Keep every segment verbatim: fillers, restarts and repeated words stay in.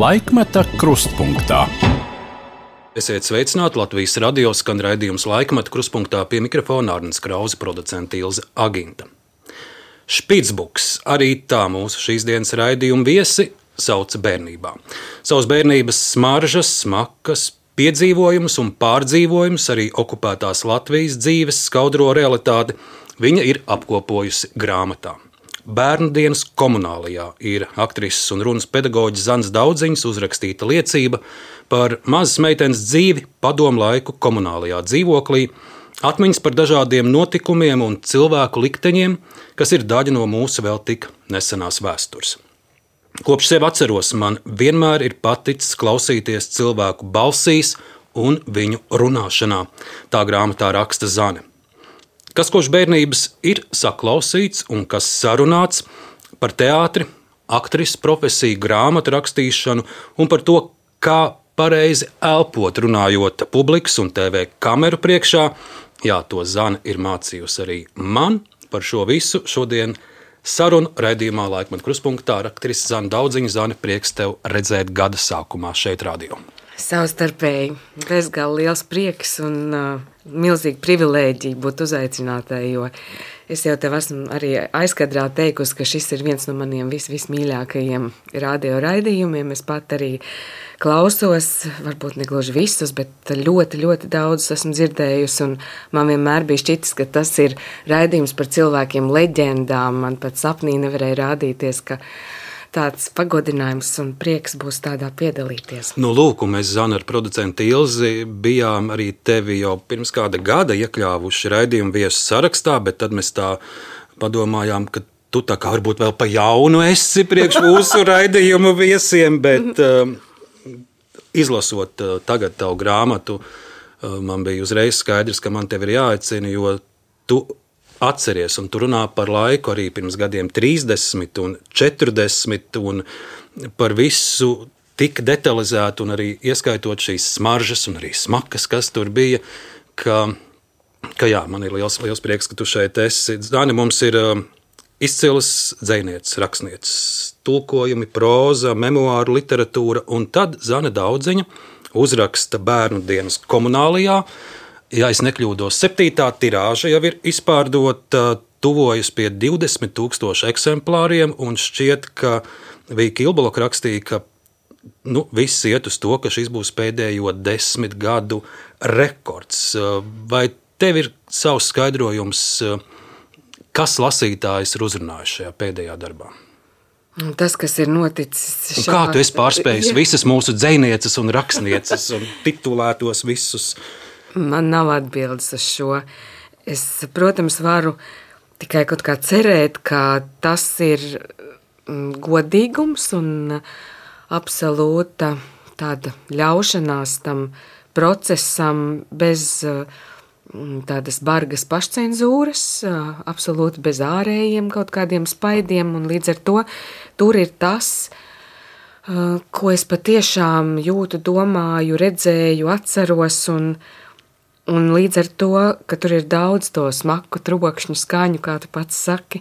Laikmeta krustpunktā. Esiet sveicināti, Latvijas radio skan raidījums Laikmeta krustpunktā, pie mikrofona Arnis Krause, producente Ilze Aginta. Špicbuks, arī tā mūsu šīs dienas raidījuma viesi, sauca bērnībā. Savas bērnības smaržas, smakas, piedzīvojumus un pārdzīvojumus, arī okupētās Latvijas dzīves skaudro realitāti, viņa ir apkopojusi grāmatā. Bērnu dienas komunālajā ir aktrises un runas pedagoģis Zanes Daudziņas uzrakstīta liecība par mazas meitenes dzīvi padomu laiku komunālajā dzīvoklī, atmiņas par dažādiem notikumiem un cilvēku likteņiem, kas ir daļa no mūsu vēl tik nesenās vēstures. Kopš sevi atceros, man vienmēr ir paticis klausīties cilvēku balsīs un viņu runāšanā, tā grāmatā raksta Zane. Kas kopš bērnības ir saklausīts un kas sarunāts par teātri, aktrises profesiju, grāmatu rakstīšanu un par to, kā pareizi elpot runājot publikas un T V kameru priekšā. Jā, to Zane ir mācījusi arī man. Par šo visu šodien sarunu raidījumā Laikmeta krustpunktā ar aktrisi Zane Daudziņu. Zane, prieks tev redzēt gada sākumā šeit radio. Savstarpēji, bezgalīgi liels prieks un uh, milzīga privilēģija būt uzaicinātai, jo es jau tev esmu arī aizkadrā teikusi, ka šis ir viens no maniem vis, vismīļākajiem radio raidījumiem. Es pat arī klausos, varbūt ne gluži visus, bet ļoti, ļoti daudz esmu dzirdējusi, un man vienmēr bija šķitis, ka tas ir raidījums par cilvēkiem leģendām. Man pat sapnī nevarēja rādīties, ka tāds pagodinājums un prieks būs tādā piedalīties. Nu, lūk, mēs, Zana, ar producentu Ilzi bijām arī tevi jau pirms kāda gada iekļāvuši raidījumu viesu sarakstā, bet tad mēs tā padomājām, ka tu tā kā varbūt vēl pa jaunu esi priekš mūsu raidījumu viesiem, bet uh, izlasot uh, tagad tavu grāmatu, uh, man bija uzreiz skaidrs, ka man tevi ir jāaicina, jo tu atceries, un tu runā par laiku arī pirms gadiem trīsdesmit un četrdesmit, un par visu tik detalizētu, un arī ieskaitot šīs smaržas un arī smakas, kas tur bija, ka, ka jā, man ir liels, liels prieks, ka tu šeit esi. Zani, mums ir uh, izcils dzejnieces, rakstnieces, tulkojumi, próza, memoāru, literatūra, un tad Zane Daudziņa uzraksta Bērnu dienas komunālajā. Ja es nekļūdos, septītā tirāža jau ir izpārdota, tuvojas pie divdesmit tūkstoši eksemplāriem, un šķiet, ka Vīka Ilbalok rakstīja, ka nu, viss iet uz to, ka šis būs pēdējo desmit gadu rekords. Vai tev ir savs skaidrojums, kas lasītājs ir uzrunājis šajā pēdējā darbā? Tas, kas ir noticis šā... Kā tu esi pārspējis visas mūsu dzejnieces un rakstnieces un titulētos visus? Man nav atbildes uz šo. Es, protams, varu tikai kaut kā cerēt, ka tas ir godīgums un absolūta tāda ļaušanās tam procesam bez tādas bargas pašcenzūras, absolūti bez ārējiem kaut kādiem spaidiem, un līdz ar to tur ir tas, ko es patiešām jūtu, domāju, redzēju, atceros, un Un līdz ar to, ka tur ir daudz to smaku, trokšņu, skaņu, kā tu pats saki,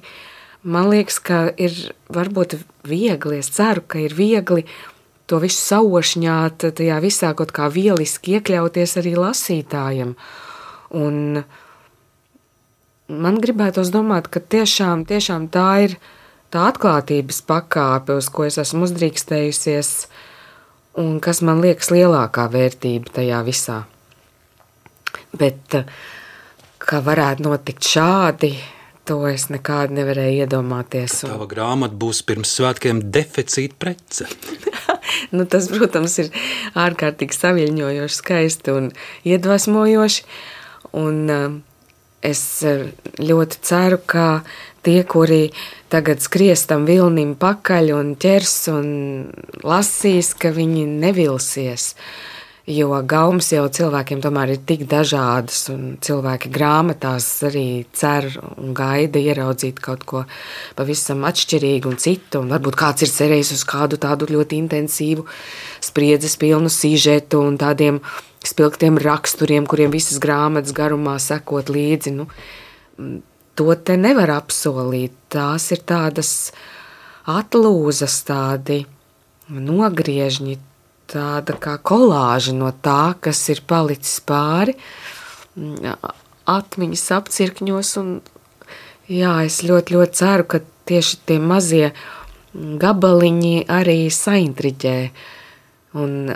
man liekas, ka ir varbūt viegli, es ceru, ka ir viegli to visu sauošņāt, tajā visā kaut kā vieliski iekļauties arī lasītājam. Un man gribētos domāt, ka tiešām, tiešām tā ir tā atklātības pakāpe, uz ko es esmu uzdrīkstējusies, un kas man liekas lielākā vērtība tajā visā. Bet, kā varētu notikt šādi, to es nekādi nevarēju iedomāties. Tava grāmata būs pirms svētkiem deficīta prece. Nu, tas, protams, ir ārkārtīgi saviļņojoši, skaisti un iedvesmojoši. Un es ļoti ceru, ka tie, kuri tagad skries tam vilnim pakaļ un ķers un lasīs, ka viņi nevilsies. Jo gaumas jau cilvēkiem tomēr ir tik dažādas, un cilvēki grāmatās arī cer un gaida ieraudzīt kaut ko pavisam atšķirīgu un citu, un varbūt kāds ir cerējis uz kādu tādu ļoti intensīvu spriedzes pilnu sižetu un tādiem spilgtiem raksturiem, kuriem visas grāmatas garumā sekot līdzi. Nu, to te nevar apsolīt. Tās ir tādas atlūzas, tādi nogriežņi, tāda kā kolāža no tā, kas ir palicis pāri, atmiņas apcirkņos. Un, jā, es ļoti, ļoti ceru, ka tieši tie mazie gabaliņi arī saintriģē. Un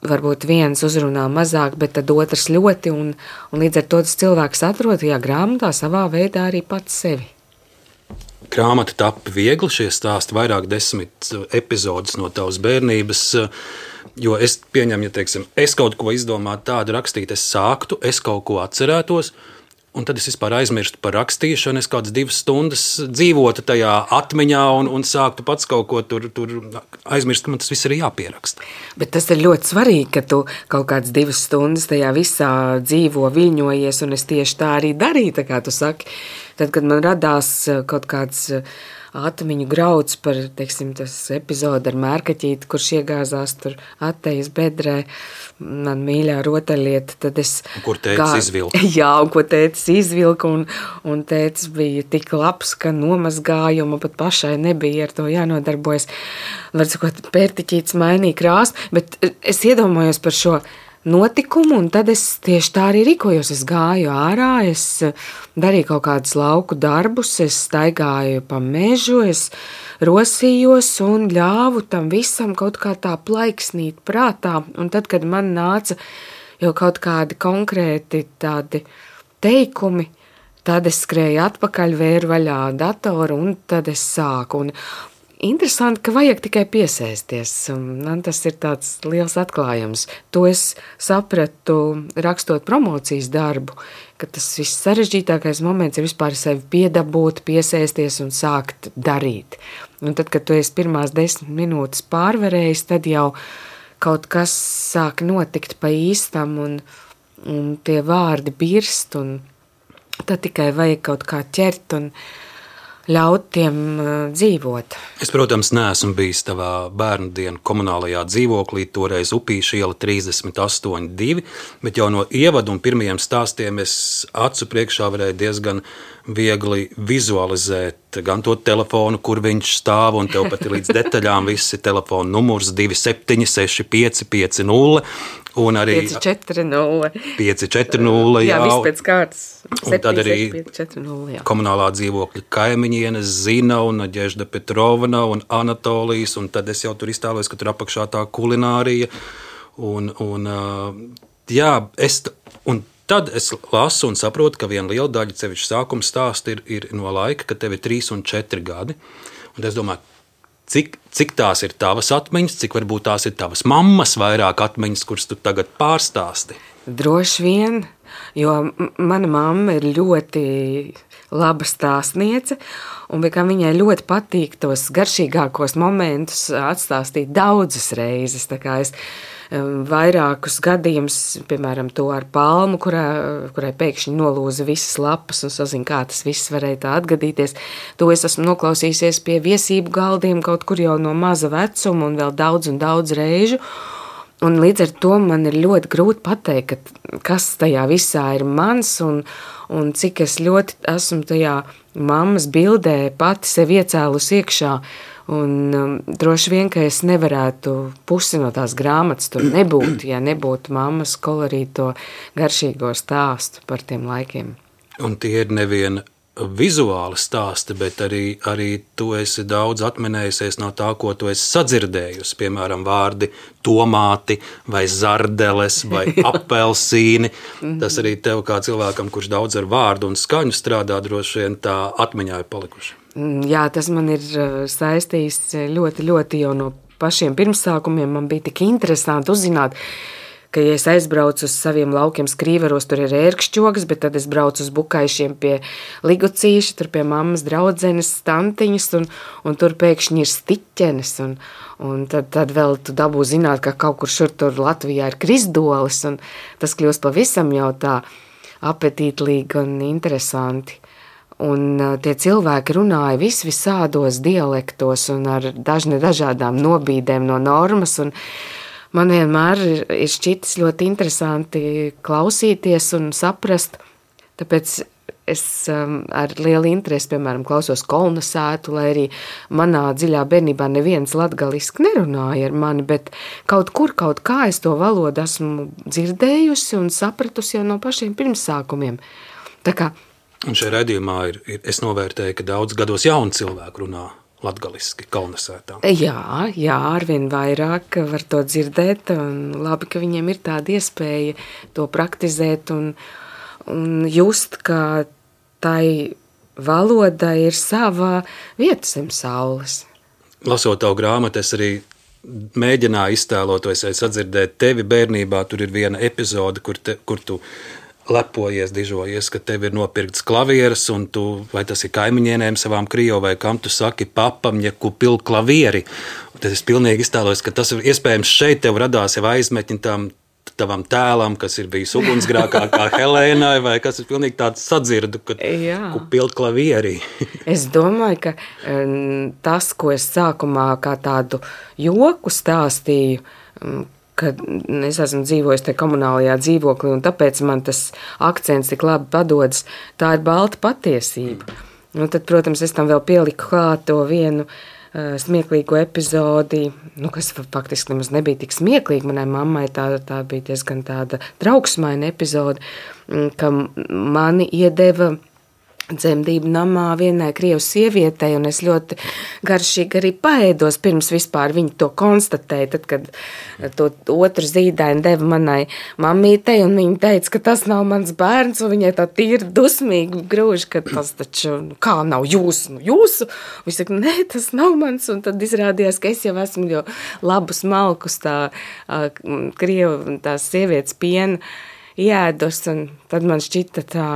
varbūt viens uzrunā mazāk, bet tad otrs ļoti, un, un līdz ar to tas cilvēks atrod tajā grāmatā savā veidā arī pats sevi. Grāmata tappa viegli, šie stāsti vairāk desmit epizodes no tavas bērnības, jo es pieņemu, ja teiksim, es kaut ko izdomātu tādu rakstīt, es sāktu, es kaut ko atcerētos, un tad es vispār aizmirstu par rakstīšanu, es kādas divas stundas dzīvotu tajā atmiņā un, un sāktu pats kaut ko tur, tur aizmirst, ka man tas viss ir jāpieraksta. Bet tas ir ļoti svarīgi, ka tu kaut kādas divas stundas tajā visā dzīvo, viļņojies, un es tieši tā arī darīju, tā kā tu saki. Tad, kad man radās kaut kāds atmiņu grauds par, teiksim, tas epizode ar mērkaķīti, kurš iegāzās tur attejas bedrē, man mīļā rotaļlieta, tad es... Kur tētis gā... izvilka. Jā, un ko tētis izvilka, un, un tētis bija tik labs, ka nomazgāja, un man pat pašai nebija ar to jānodarbojas. Var sakot, pērtiķītis mainīja krāsu, bet es iedomājos par šo notikumu, un tad es tieši tā arī rīkojos. Es gāju ārā, es darīju kaut kādus lauku darbus, es staigāju pa mežu, es rosījos un ļāvu tam visam kaut kā tā plaiksnīt prātā. Un tad, kad man nāca jau kaut kādi konkrēti tādi teikumi, tad es skrēju atpakaļ, vēru vaļā datoru, un tad es sāku. Un interesanti, ka vajag tikai piesēsties, un man tas ir tāds liels atklājums. To es sapratu rakstot promocijas darbu, ka tas viss sarežģītākais moments ir vispār sevi piedabūt, piesēsties un sākt darīt. Un tad, kad tu esi pirmās desmit minūtes pārvarējis, tad jau kaut kas sāk notikt pa īstam, un, un tie vārdi birst, un tad tikai vajag kaut kā ķert un ļaut tiem uh, dzīvot. Es, protams, neesmu bijis tavā bērnu dienu komunālajā dzīvoklī, toreiz Upīša iela trīsdesmit astoņi divi, bet jau no ievadu un pirmajiem stāstiem es acu priekšā varēju diezgan viegli vizualizēt gan to telefonu, kur viņš stāv, un tev pat ir līdz detaļām visi telefona numurs divi septiņi seši pieci pieci nulle, un arī pieci četri nulle. pieci četri nulle, jā. Jā, viss pēc kārtas. Un tad arī pieci četri nulle, jā. Komunālā dzīvokļa kaimiņienes Zina un Naģežda Petrovna un Anatolijas, un tad es jau tur iztēlojos, ka tur apakšā tā kulinārija, un, un jā, es, un tad es lasu un saprotu, ka viena liela daļa sevišķi sākuma stāsta ir, ir no laika, kad tev ir trīs un četri gadi, un es domāju, Cik, cik tās ir tavas atmiņas, cik varbūt tās ir tavas mammas vairāk atmiņas, kuras tu tagad pārstāsti? Droši vien, jo mana mamma ir ļoti laba stāstniece, un viņai ļoti patīk tos garšīgākos momentus atstāstīt daudzas reizes. Tā kā es vairākus gadījumus, piemēram, to ar palmu, kurā, kurai pēkšņi nolūza visas lapas un sazina, kā tas viss varēja tā atgadīties. To es esmu noklausījusies pie viesību galdiem kaut kur jau no maza vecuma un vēl daudz un daudz reižu. Un līdz ar to man ir ļoti grūti pateikt, ka, kas tajā visā ir mans un, un cik es ļoti esmu tajā mammas bildē pati sev iecēlus iekšā. Un um, droši vien, ka es nevarētu pusi no tās grāmatas tur nebūt, ja nebūtu mammas kolorīto garšīgo stāstu par tiem laikiem. Un tie ir nevien vizuāli stāsti, bet arī, arī tu esi daudz atminējusies no tā, ko tu esi sadzirdējusi, piemēram, vārdi tomāti vai zardeles vai apelsīni. Tas arī tev kā cilvēkam, kurš daudz ar vārdu un skaņu strādā, droši vien tā atmiņā ir palikuši. Jā, tas man ir saistījis ļoti, ļoti jau no pašiem pirmsākumiem. Man bija tik interesanti uzzināt, ka, ja es aizbraucu uz saviem laukiem Skrīveros, tur ir ērkšķogas, bet tad es braucu uz Bukaišiem pie Ligucīša, tur pie mammas draudzenes, tantiņas, un, un tur pēkšņi ir stiķenes, un, un tad, tad vēl tu dabū zināt, ka kaut kur šur tur Latvijā ir krisdolis, un tas kļūst pavisam jau tā apetītlīgi un interesanti. Un tie cilvēki runāja vis visādos dialektos un ar dažne dažādām nobīdēm no normas, un man vienmēr ir, ir šķitis ļoti interesanti klausīties un saprast, tāpēc es um, ar lielu interesi, piemēram, klausos kolonizētu, lai arī manā dziļā bērnībā neviens latgaliski nerunāja ar mani, bet kaut kur, kaut kā es to valodu esmu dzirdējusi un sapratusi jau no pašiem pirmsākumiem. Tā kā Un šajā raidījumā ir, ir, es novērtēju, ka daudz gados jauni cilvēki runā latgaliski kolonizētā. Jā, jā, arvien vairāk var to dzirdēt, un labi, ka viņiem ir tāda iespēja to praktizēt un, un just, ka tai valoda ir sava vieta zem saules. Lasot tavu grāmatu, es arī mēģināju iztēloties, vai sadzirdēt tevi bērnībā. Tur ir viena epizode, kur, te, kur tu lepojies, dižojies, ka tev ir nopirkts klavieres, un tu, vai tas ir kaimiņienēm savām krievu, vai kam tu saki, papam, ja kupil klavieri. Un tad es pilnīgi iztēlojos, ka tas ir iespējams šeit tev radās jau aizmetņi tam tavam tēlam, kas ir bijis ugunsgrākā kā Helēnai, vai kas ir pilnīgi tāds sadzirdu, ka kupil klavieri. Es domāju, ka um, tas, ko es sākumā kā tādu joku stāstīju, um, kad es esmu dzīvojis te komunālajā dzīvoklī, un tāpēc man tas akcents tik labi padodas, tā ir balta patiesība. Un tad, protams, es tam vēl pieliku klāt to vienu uh, smieklīgo epizodi, nu, kas faktiski nemaz nebija tik smieklīgi. Manai mammai tā, tā bija diezgan tāda trauksmaina epizode, ka mani iedeva dzemdību namā vienai krievu sievietei, un es ļoti garšīgi arī paēdos, pirms vispār viņi to konstatēja, tad, kad to otru zīdaini deva manai mammītei, un viņa teica, ka tas nav mans bērns, un viņai tā tīri dusmīgi grūž, ka tas taču, kā nav jūsu, nu jūsu, un viņa saka, nē, tas nav mans, un tad izrādījās, ka es jau esmu jau labus malkus tā krievu, tās sievietes piena iēdus, un tad man šķita tā,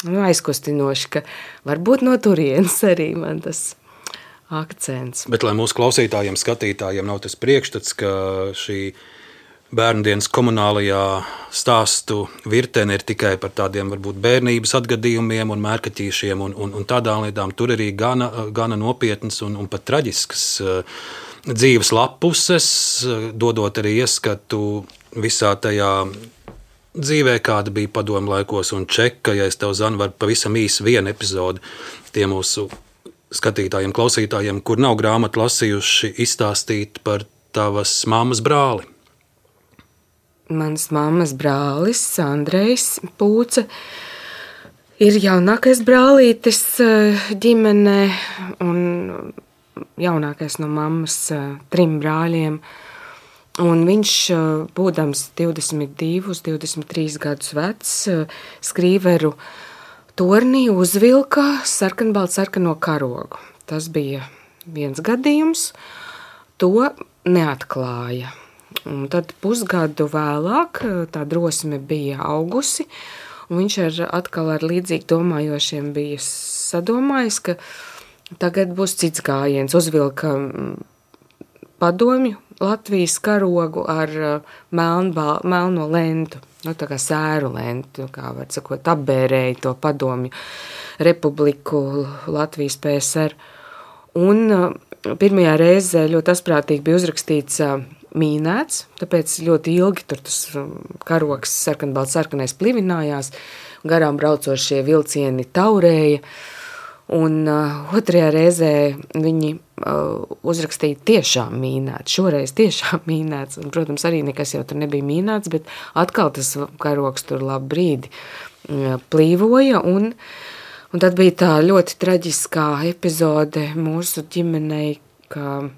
nu, aizkustinoši, ka varbūt no turienes arī man tas akcents. Bet, lai mūsu klausītājiem, skatītājiem nav tas priekšstats, ka šī bērndienas komunālajā stāstu virtene ir tikai par tādiem varbūt bērnības atgadījumiem un mērkaķīšiem un, un, un tādām lietām, tur arī gana, gana nopietnas un, un pat traģiskas dzīves lapuses, dodot arī ieskatu visā tajā dzīvē, kāda bija padomu laikos un čeka, ja es tev zanu, var pavisam īsi vienu epizodi tie mūsu skatītājiem, klausītājiem, kur nav grāmatu lasījuši, izstāstīt par tavas mammas brāli. Mans mammas brālis, Andrejs Pūce, ir jaunākais brālītis ģimenē un jaunākais no mammas trim brāļiem. Un viņš, būdams divdesmit divus, divdesmit trīs gadus vecs, skrīveru tornī uzvilka sarkanbaltu sarkano karogu. Tas bija viens gadījums, to neatklāja. Un tad pusgadu vēlāk tā drosme bija augusi, un viņš ar, atkal ar līdzīgi domājošiem bija sadomājis, ka tagad būs cits gājiens, uzvilka padomju Latvijas karogu ar melnbā, melno lentu, nu, tā kā sēru lentu, kā var sakot, apbērēja to padomju republiku Latvijas P S R. Un pirmajā reizē ļoti asprātīgi bija uzrakstīts mīnēts, tāpēc ļoti ilgi tur tas karogs sarkanbalts sarkanais plivinājās, garām braucošie vilcieni taurēja. Un uh, otrajā reizē viņi uh, uzrakstīja tiešām mīnēts, šoreiz tiešām mīnēts, un, protams, arī nekas jau tur nebija mīnēts, bet atkal tas karogs tur labu brīdi uh, plīvoja, un, un tad bija tā ļoti traģiskā epizode mūsu ģimenei, ka uh,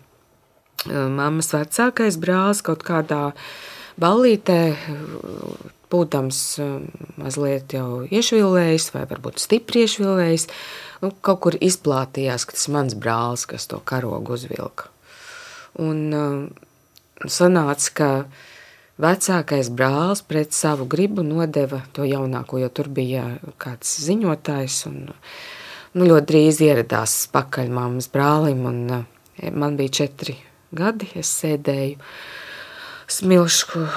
mammas vecākais brālis kaut kādā ballītē, uh, būdams uh, mazliet jau iešvilējis, vai varbūt stipri iešvilējis, nu, kaut kur izplātījās, ka tas mans brālis, kas to karogu uzvilka. Un uh, sanāca, ka vecākais brālis pret savu gribu nodeva to jaunāko, jo tur bija kāds ziņotājs, un nu, ļoti drīz ieradās pakaļ mammas brālim, un uh, man bija četri gadi, es sēdēju smilšu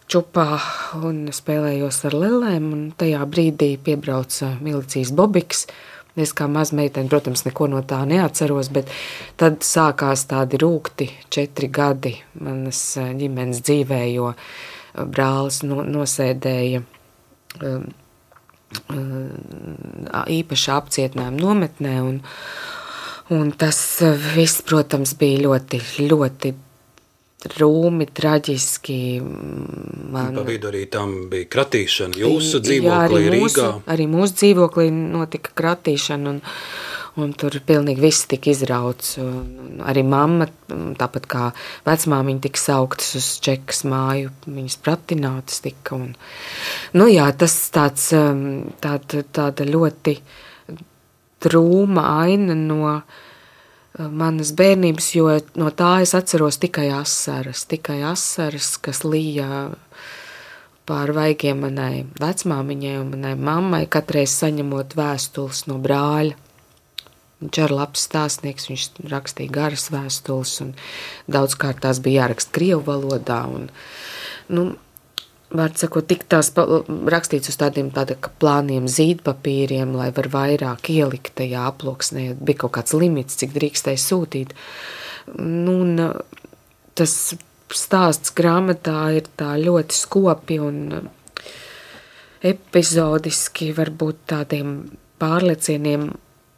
čupā un spēlējos ar lelēm, un tajā brīdī piebrauca milicijas bobiks. Es kā mazmeitene, protams, neko no tā neatceros, bet tad sākās tādi rūgti četri gadi manas ģimenes dzīvē, jo brālis no, nosēdēja um, īpašā apcietinājuma nometnē. Un, un tas viss, protams, bija ļoti, ļoti rūmi, traģiski. Man... Pa vidu arī tam bija kratīšana jūsu dzīvoklī Jā, arī Rīgā. Mūsu, arī mūsu dzīvoklī notika kratīšana, un, un tur pilnīgi viss tika izrauts. Un arī mamma, tāpat kā vecmāmiņa, tika sauktas uz Čekas māju, viņas pratinātas tika. Un, nu jā, tas tāds, tāda, tāda ļoti drūma aina no manas bērnības, jo no tā es atceros tikai asaras, tikai asaras, kas lija pār vaigiem manai vecmāmiņai un manai mammai, katreiz saņemot vēstules no brāļa. Viņš ir labs stāstnieks, viņš rakstīja garas vēstules, un daudzkārt tās bija jāraksta krievu valodā. Un, nu, var sakot, tik tās rakstīts uz tādiem tāda, plāniem zīdpapīriem, lai var vairāk ielikt tajā aploksnē. Bija kaut kāds limits, cik drīkstēja sūtīt. Nu, un tas stāsts grāmatā ir tā ļoti skopi un epizodiski, varbūt tādiem pārliecieniem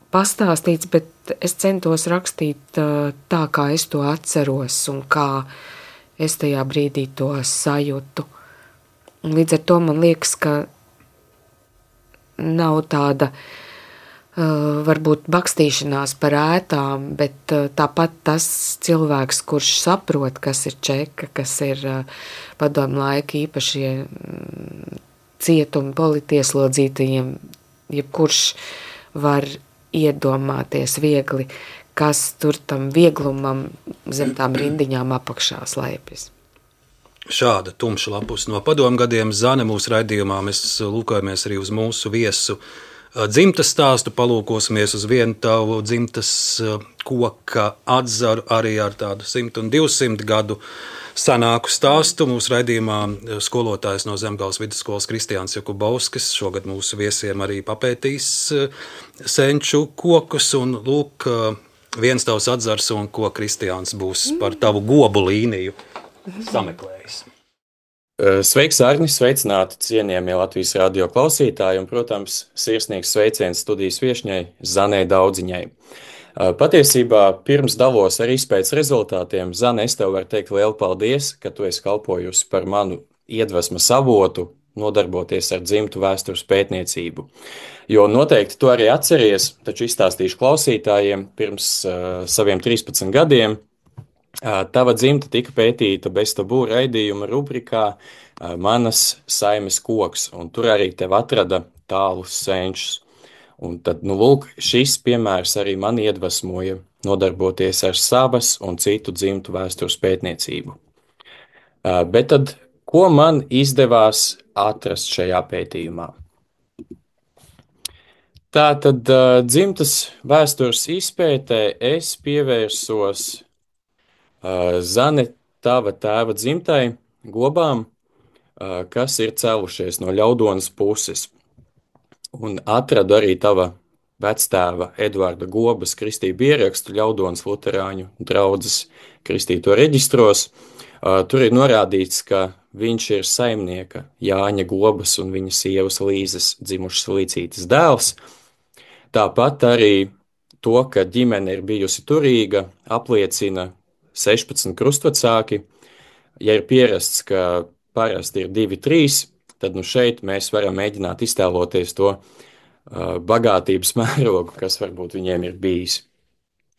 pastāstīts, bet es centos rakstīt tā, kā es to atceros un kā es tajā brīdī to sajūtu. Un līdz ar to man liekas, ka nav tāda uh, varbūt bakstīšanās par ētām, bet uh, tāpat tas cilvēks, kurš saprot, kas ir Čeka, kas ir uh, padomu laika īpašie mm, cietumi politieslodzītajiem, jebkurš var iedomāties viegli, kas tur tam vieglumam zem tām rindiņām apakšā slēpjas. Šāda tumša lapus no padomu gadiem Zane mūsu raidījumā. Mēs lūkojamies arī uz mūsu viesu dzimtas stāstu, palūkosimies uz vienu tavu dzimtas koka atzaru arī ar tādu simt un divsimt gadu senāku stāstu. Mūsu raidījumā skolotājs no Zemgales vidusskolas Kristiāns Jakubovskis šogad mūsu viesiem arī papētīs senču kokus, un lūk, viens tavs atzars, un ko Kristiāns būs par tavu gobu līniju sameklējis. Sveiks, Arni, sveicināti cienījamie Latvijas radio klausītāji un, protams, sirsnīgs sveiciens studijas viešņai Zanei Daudziņai. Patiesībā pirms dalos ar izpētes rezultātiem, Zane, es tev varu teikt lielu paldies, ka tu esi kalpojusi par manu iedvesmas avotu nodarboties ar dzimtu vēstures pētniecību. Jo noteikti tu arī atceries, taču izstāstīšu klausītājiem, pirms uh, saviem trīspadsmit gadiem tava dzimta tika pētīta bez tabū raidījuma rubrikā Manas saimes koks, un tur arī tev atrada tālus senčus. Un tad, nu lūk, šis piemērs arī man iedvesmoja nodarboties ar savas un citu dzimtu vēstures pētniecību. Bet tad, ko man izdevās atrast šajā pētījumā? Tātad dzimtas vēstures izpētē es pievērsos Zane, tava tēva dzimtai gobām, kas ir cēlušies no Ļaudonas puses. Un atradu arī tava vectēva Eduarda Gobas kristību ierakstu Ļaudonas luterāņu draudzes kristīto reģistros. Tur ir norādīts, ka viņš ir saimnieka Jāņa Gobas un viņa sievas Līzes dzimušas Līcītes dēls. Tāpat arī to, ka ģimene ir bijusi turīga, apliecina sešpadsmit krustvecāki. Ja ir pierasts, ka parasti ir divi, trīs, tad nu šeit mēs varam mēģināt iztēloties to uh, bagātības mērogu, kas varbūt viņiem ir bijis.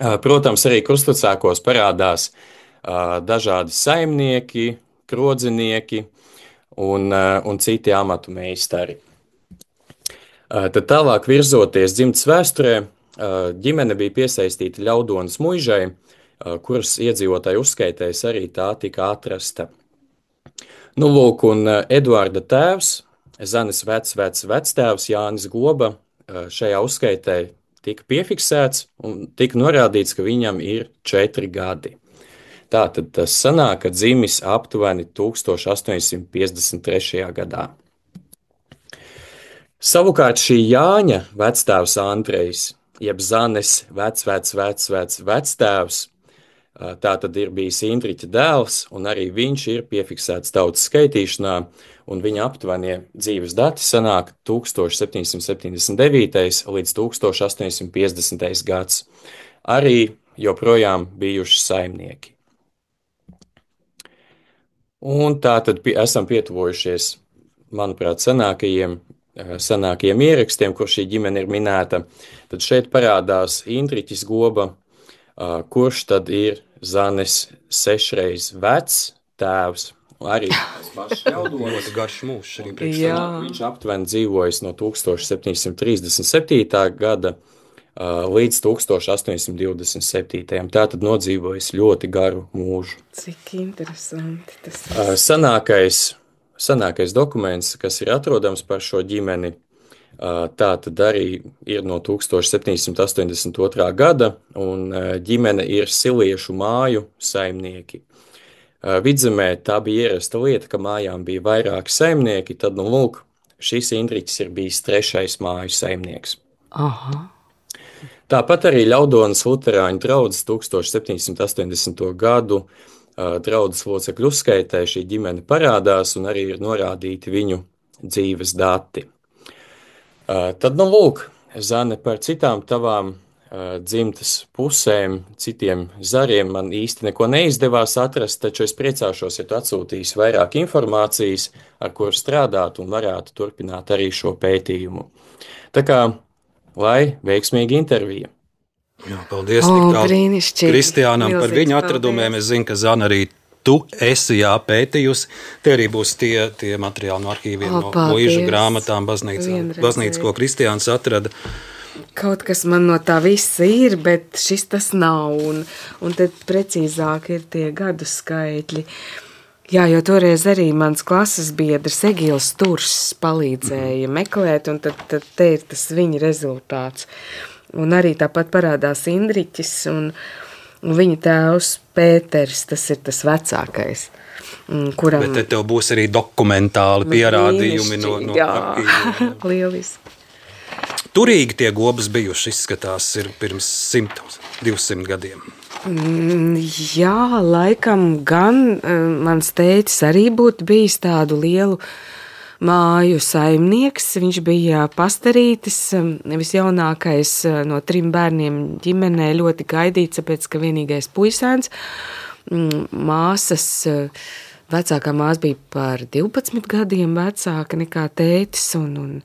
Uh, protams, arī krustvecākos parādās uh, dažādi saimnieki, krodzinieki un, uh, un citi amatu meistari. Uh, tad tālāk virzoties dzimtas vēsturē, uh, ģimene bija piesaistīta Ļaudonas muižai, kuras iedzīvotāju uzskaitēs arī tā tika atrasta. Nu, lūk, un Eduarda tēvs, Zanes vec, vec, vectēvs Jānis Goba šajā uzskaitē tika piefiksēts un tika norādīts, ka viņam ir četri gadi. Tātad tas sanāk, ka dzimis aptuveni tūkstoš astoņsimt piecdesmit trešajā gadā. Savukārt šī Jāņa vectēvs Andrejs, jeb Zanes vec, vec, vec, vec, vectēvs, Tā tad ir bijis Indriķa dēls, un arī viņš ir piefiksēts tautas skaitīšanā, un viņa aptuvenie dzīves dati sanāk tūkstoš septiņsimt septiņdesmit devītais līdz tūkstoš astoņsimt piecdesmitais gads. Arī joprojām bijuši saimnieki. Un tā tad esam pietuvojušies, manuprāt, senākajiem, senākajiem ierakstiem, kur šī ģimene ir minēta. Tad šeit parādās Indriķis Goba, kurš tad ir Zanes sešreiz vecs tēvs. Arī tas pašs Ļaudonis. Garš mūžs arī priekšā. Viņš aptuveni dzīvojis no tūkstoš septiņsimt trīsdesmit septītā gada līdz tūkstoš astoņsimt divdesmit septītajam. Tātad nodzīvojis ļoti garu mūžu. Cik interesanti tas ir. Sanākais, sanākais dokuments, kas ir atrodams par šo ģimeni, tā tad arī ir no tūkstoš septiņsimt astoņdesmit otrā gada, un ģimene ir Siliešu māju saimnieki. Vidzemē tā bija ierasta lieta, ka mājām bija vairāki saimnieki, tad, nu, lūk, šis Indriķis ir bijis trešais māju saimnieks. Aha. Tāpat arī Ļaudonas luterāņu draudzes tūkstoš septiņsimt astoņdesmito gadu draudzes locekļu uzskaitē šī ģimene parādās, un arī ir norādīti viņu dzīves dati. Tad, nu, lūk, Zane, par citām tavām uh, dzimtas pusēm, citiem zariem man īsti neko neizdevās atrast, taču es priecāšos, ja tu atsūtīsi vairāk informācijas, ar kuru strādāt un varētu turpināt arī šo pētījumu. Tā kā, lai veiksmīga intervija. Jā, paldies, O, tik tālu brīnišķīgi. Kristiānam par Milzīgs viņu atradumiem. paldies. Es zinu, ka Zana arī tu esi jā pētījusi. Tie arī būs tie, tie materiāli no arhīviem, O, no paldies. muižu grāmatām, baznīcā, Vienreizēji. baznīca, ko Kristiāns atrada. Kaut kas man no tā visa ir, bet šis tas nav, un, un tad precīzāk ir tie gadu skaitļi. Jā, jo toreiz arī mans klases biedrs Egils Turs palīdzēja meklēt, un tad, tad te ir tas viņa rezultāts. Un arī tāpat parādās Indriķis, un, un viņa tēvs Pēters, tas ir tas vecākais, kuram... Bet te tev būs arī dokumentāli pierādījumi no, no jā, arhīviem. lieliski. Turīgi tie gobas bijuši, izskatās, ir pirms simt, divsimt gadiem. Mm, jā, laikam gan mans tētis arī būtu bijis tādu lielu māju saimnieks. Viņš bija pastarītis, visjaunākais no trim bērniem ģimenē, ļoti gaidīts, tāpēc, ka vienīgais puisēns. Māsas, vecākā māsa bija par divpadsmit gadiem vecāka nekā tētis, un, un,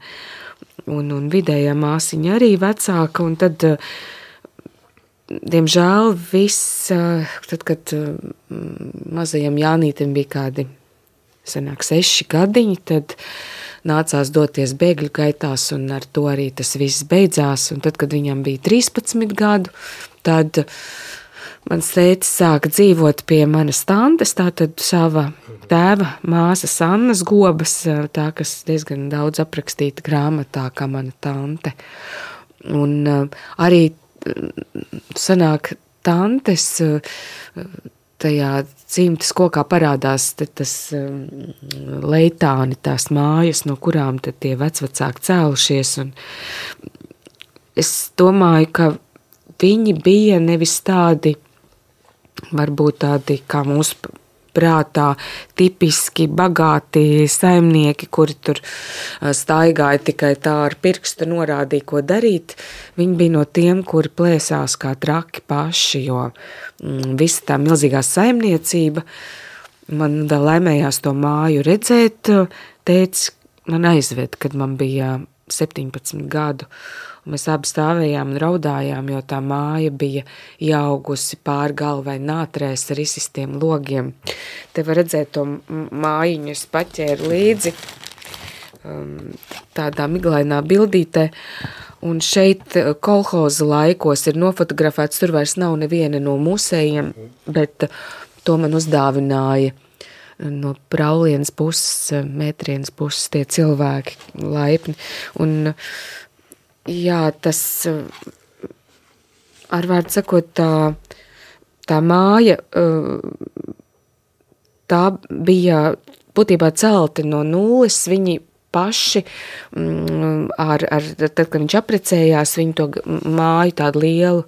un, un vidējā māsiņa arī vecāka, un tad, diemžēl, viss, tad, kad mazajam Jānītam bija kādi sanāk seši gadiņi, tad nācās doties bēgļu gaitās, un ar to arī tas viss beidzās. Un tad, kad viņam bija trīspadsmit gadu, tad mans tētis sāka dzīvot pie manas tantes, tātad sava tēva māsas Annas Gobas, tā, kas diezgan daudz aprakstīta grāmatā, kā mana tante. Un arī sanāk tantes tajā dzimtas kokā parādās tas leitāni, tās mājas, no kurām tad tie vecvecāki cēlušies. Un es domāju, ka viņi bija nevis tādi, varbūt tādi kā mūsu prātā tipiski bagāti saimnieki, kuri tur staigāja tikai tā ar pirkstu norādīja, ko darīt. Viņi bija no tiem, kuri plēsās kā traki paši, jo mm, visa tā milzīgā saimniecība, man vēl laimējās to māju redzēt, tētis man aizved, kad man bija septiņpadsmit gadu. Un mēs abi stāvējām un raudājām, jo tā māja bija ieaugusi pār galvai nātrēs ar izsistiem logiem. Te var redzēt to mājiņu, es paķēru līdzi tādā miglainā bildītē. Un šeit kolhoza laikos ir nofotografēts, tur vairs nav neviena no musējiem, bet to man uzdāvināja no Praulienas puses, Mētrienas puses tie cilvēki laipni. Un jā, tas, ar vārdu sakot, tā, tā māja, tā bija būtībā celti no nulles, viņi paši, ar, ar, tad, kad viņš apprecējās, viņi to māju tādu lielu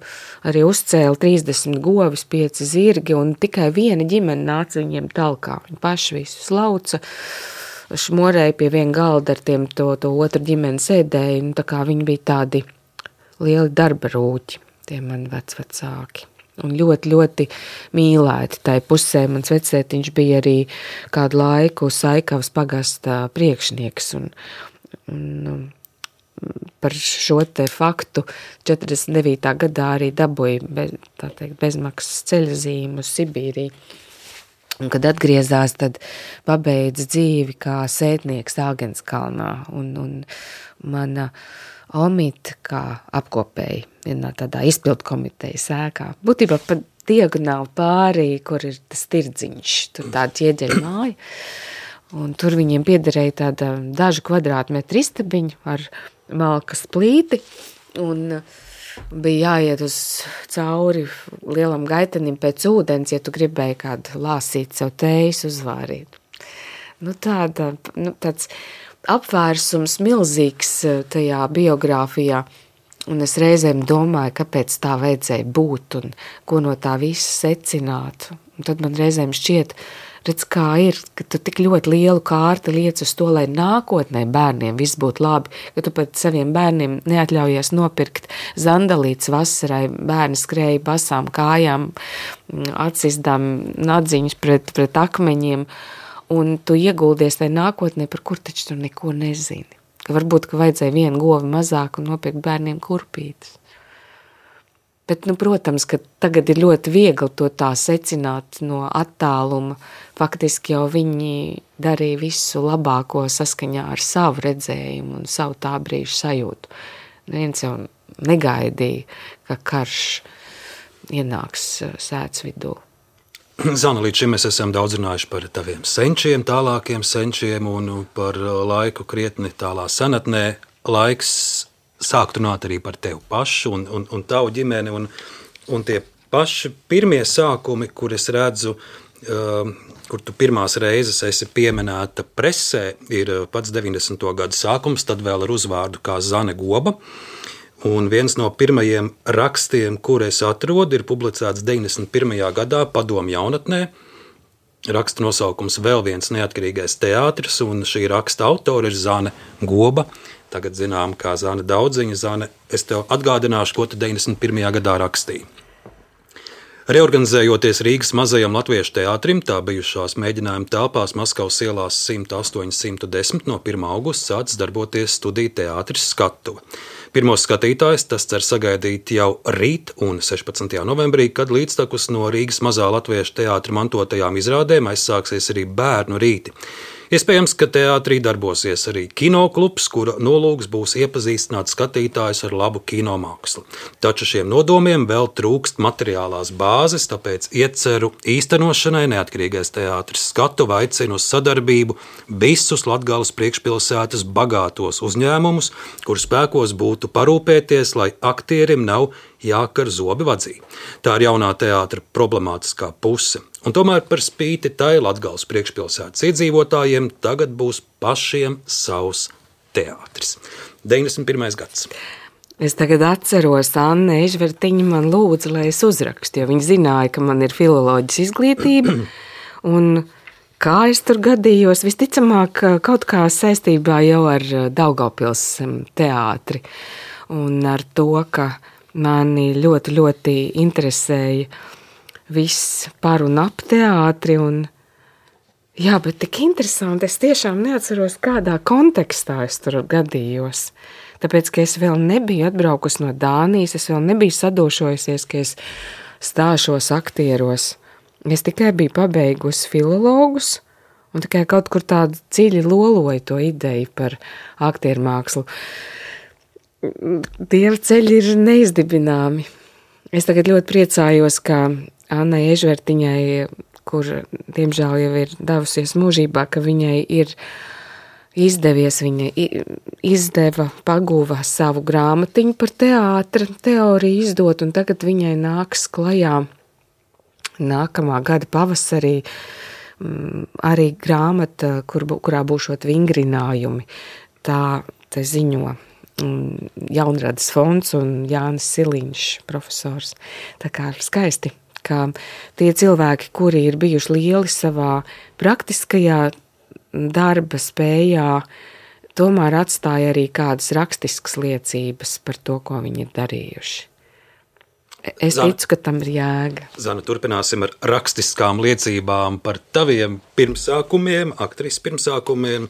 arī uzcēla trīsdesmit govis, pieci zirgi, un tikai viena ģimene nāca viņiem talkā. Viņi paši visu slauca, šmorēja pie viena galda ar tiem to, to otru ģimeni sēdēja, un tā kā viņi bija tādi lieli darba rūķi, tie mani vecvecāki. Un ļoti, ļoti mīlēti tai pusē. Mans vecētiņš bija arī kādu laiku Saikavas pagasta priekšnieks. Un, un par šo te faktu četrdesmit devītā gadā arī dabūja bez, tā teikt, bezmaksas ceļazīmu uz Sibīriju. Un, kad atgriezās, tad pabeidz dzīvi kā sētnieks Āgenskalnā. Un, un mana Omita kā apkopēji vienā tādā izpildu komitejas ēkā. Būtībā pat diagonāli pārī, kur ir tas tirdziņš, tur tāda ķieģeļa māja. Un tur viņiem piederēja tāda dažu kvadrātmetru istabiņu ar malkas plīti. Un bija jāiet uz cauri lielam gaitenim pēc ūdens, ja tu gribēji kādu lāsīt sev tējas uzvārīt. Nu tāda, nu tāds apvērsums milzīgs tajā biogrāfijā, un es reizēm domāju, kāpēc tā vajadzēja būt un ko no tā visa secināt. Un tad man reizēm šķiet, redz, kā ir, ka tu tik ļoti lielu kārti liec uz to, lai nākotnē bērniem viss būtu labi, ka tu pat saviem bērniem neatļaujies nopirkt zandalītes vasarai, bērni skrēja basām kājām, atsistām nadziņus pret, pret akmeņiem, un tu ieguldies tai nākotnē, par kur taču tu neko nezini. Ka varbūt, ka vajadzēja vienu govi mazāk un nopirkt bērniem kurpītes. Bet, nu, protams, ka tagad ir ļoti viegli to tā secināt no attāluma. Faktiski jau viņi darīja visu labāko saskaņā ar savu redzējumu un savu tā brīžu sajūtu. Neviens jau negaidīja, ka karš ienāks sētas vidū. Zana, līdz šim mēs esam daudz runājuši par taviem senčiem, tālākiem senčiem un par laiku krietni tālā senatnē. Laiks sākt runāt arī par tevi pašu un, un, un tavu ģimeni. Un, un tie paši pirmie sākumi, kur es redzu, uh, kur tu pirmās reizes esi pieminēta presē, ir pats deviņdesmito gadu sākums, tad vēl ar uzvārdu kā Zane Goba. Un viens no pirmajiem rakstiem, kur es atrodu, ir publicēts deviņdesmit pirmajā gadā Padomju jaunatnē. Raksta nosaukums Vēl viens neatkarīgais teātris, un šī raksta autora ir Zane Goba. Tagad zinām, kā Zane Daudziņa. Zane, es tev atgādināšu, ko tu deviņdesmit pirmajā gadā rakstīji. Reorganizējoties Rīgas mazajam latviešu teātrim, tā bijušās mēģinājuma telpās Maskavas ielās simt astoņi simt desmit no pirmā augusta sācis darboties studiju teātris Skatuve. Pirmos skatītājus tas cer sagaidīt jau rīt un sešpadsmitajā novembrī, kad līdztekus no Rīgas mazā latviešu teātra mantotajām izrādēm aizsāksies arī bērnu rīti. Iespējams, ka teātrī darbosies arī kinoklubs, kura nolūks būs iepazīstināt skatītājus ar labu kinomākslu. Taču šiem nodomiem vēl trūkst materiālās bāzes, tāpēc ieceru īstenošanai Neatkarīgais teātris Skatuve aicina uz sadarbību visus Latgales priekšpilsētas bagātos uzņēmumus, kuru spēkos būtu parūpēties, lai aktierim nav jākar zobi vadzī. Tā ir jaunā teātra problemātiskā puse. Un tomēr par spīti tai Latgales priekšpilsētas iedzīvotājiem tagad būs pašiem savs teātris. deviņdesmit pirmais gads. Es tagad atceros, Anna Ežvertiņa man lūdza, lai es uzrakstu, jo viņa zināja, ka man ir filoloģijas izglītība. Un kā es tur gadījos, visticamāk kaut kā saistībā jau ar Daugavpils teātri. Un ar to, ka mani ļoti, ļoti interesēja viss par un ap teātri, un jā, bet tik interesanti, es tiešām neatceros, kādā kontekstā es tur gadījos, tāpēc, ka es vēl nebiju atbraukusi no Dānijas, es vēl nebiju sadošojusies, ka es stāšos aktieros, es tikai biju pabeigusi filologus, un tikai kaut kur tādu dziļi loloju to ideju par aktieru mākslu. Dieva ceļi ir neizdibināmi. Es tagad ļoti priecājos, ka Annai Ežvertiņai, kur diemžēl jau ir devusies mūžībā, ka viņai ir izdevies, viņa izdeva, paguva savu grāmatiņu par teātra teoriju izdot, un tagad viņai nāks klajā nākamā gada pavasarī arī grāmata, kur, kurā būšot vingrinājumi, tā te ziņo Jaunradas fonds un Jānis Siliņš, profesors. Tā kā skaisti, ka tie cilvēki, kuri ir bijuši lieli savā praktiskajā darba spējā, tomēr atstāja arī kādas rakstiskas liecības par to, ko viņi ir darījuši. Es Zana, ticu, ka tam ir jēga. Zana, turpināsim ar rakstiskām liecībām par taviem pirmsākumiem, aktrises pirmsākumiem.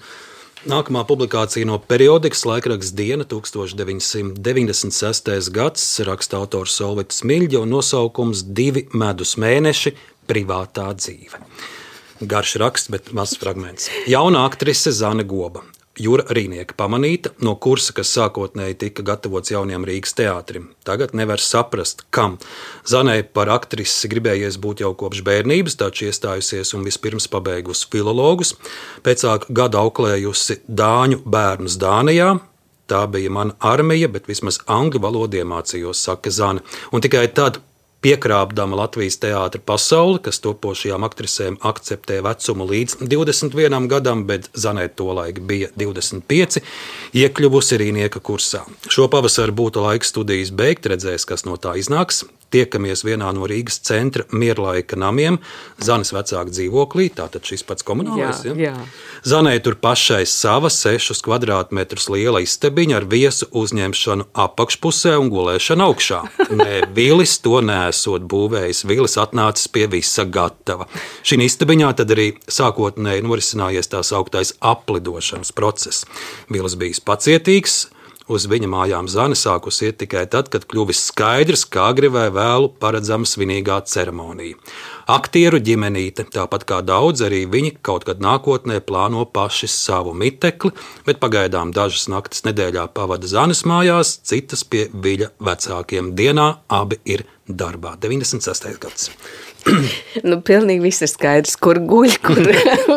Nākamā publikācija no periodikas laikraksts Diena, deviņdesmit sestais gads, raksta autors Solvitis Miļģa un nosaukums Divi medus mēneši – privātā dzīve. Garš raksts, bet mazs fragments. Jauna aktrise Zane Goba. Jura Rīnieka pamanīta no kursa, kas sākotnēji tika gatavots jaunajam Rīgas teātrim. Tagad nevar saprast, kam. Zanei par aktrisi gribējies būt jau kopš bērnības, taču iestājusies un vispirms pabeigusi filologus, pēcāk gadu auklējusi dāņu bērnus Dānijā. Tā bija mana armija, bet vismaz angļu valodu iemācījos, saka Zane. Un tikai tad, piekrāpdama Latvijas teātra pasauli, kas topošajām aktrisēm akceptē vecumu līdz divdesmit vienam gadam, bet Zanē tolaik bija divdesmit pieci, iekļuvusi Rīnieka kursā. Šo pavasaru būtu laiks studijas beigt, redzēs, kas no tā iznāks. Tiekamies vienā no Rīgas centra Mierlaika namiem, Zanes vecāka dzīvoklī, tātad šis pats komunālais. Jā, ja? jā. Zanē tur pašai sava sešus kvadrātmetrus liela istabiņa ar viesu uzņemšanu apakšpusē un gulēšanu augšā. Nē, Vilis to nesot būvējis, Vilis atnācis pie visa gatava. Šī istabiņā tad arī sākotnēji norisinājies tās augtais aplidošanas process. Vilis bijis pacietīgs. Uz viņa mājām Zane sākus iet tikai tad, kad kļuvis skaidrs, kā agri vai vēlu paredzama svinīgā ceremonija. Aktieru ģimenīte, tāpat kā daudz, arī viņi kaut kad nākotnē plāno paši savu mitekli, bet pagaidām dažas naktis nedēļā pavada Zanes mājās, citas pie Viļa vecākiem. Dienā abi ir darbā. deviņdesmit sestais gads. Nu, pilnīgi viss ir skaidrs, kur guļ, kur,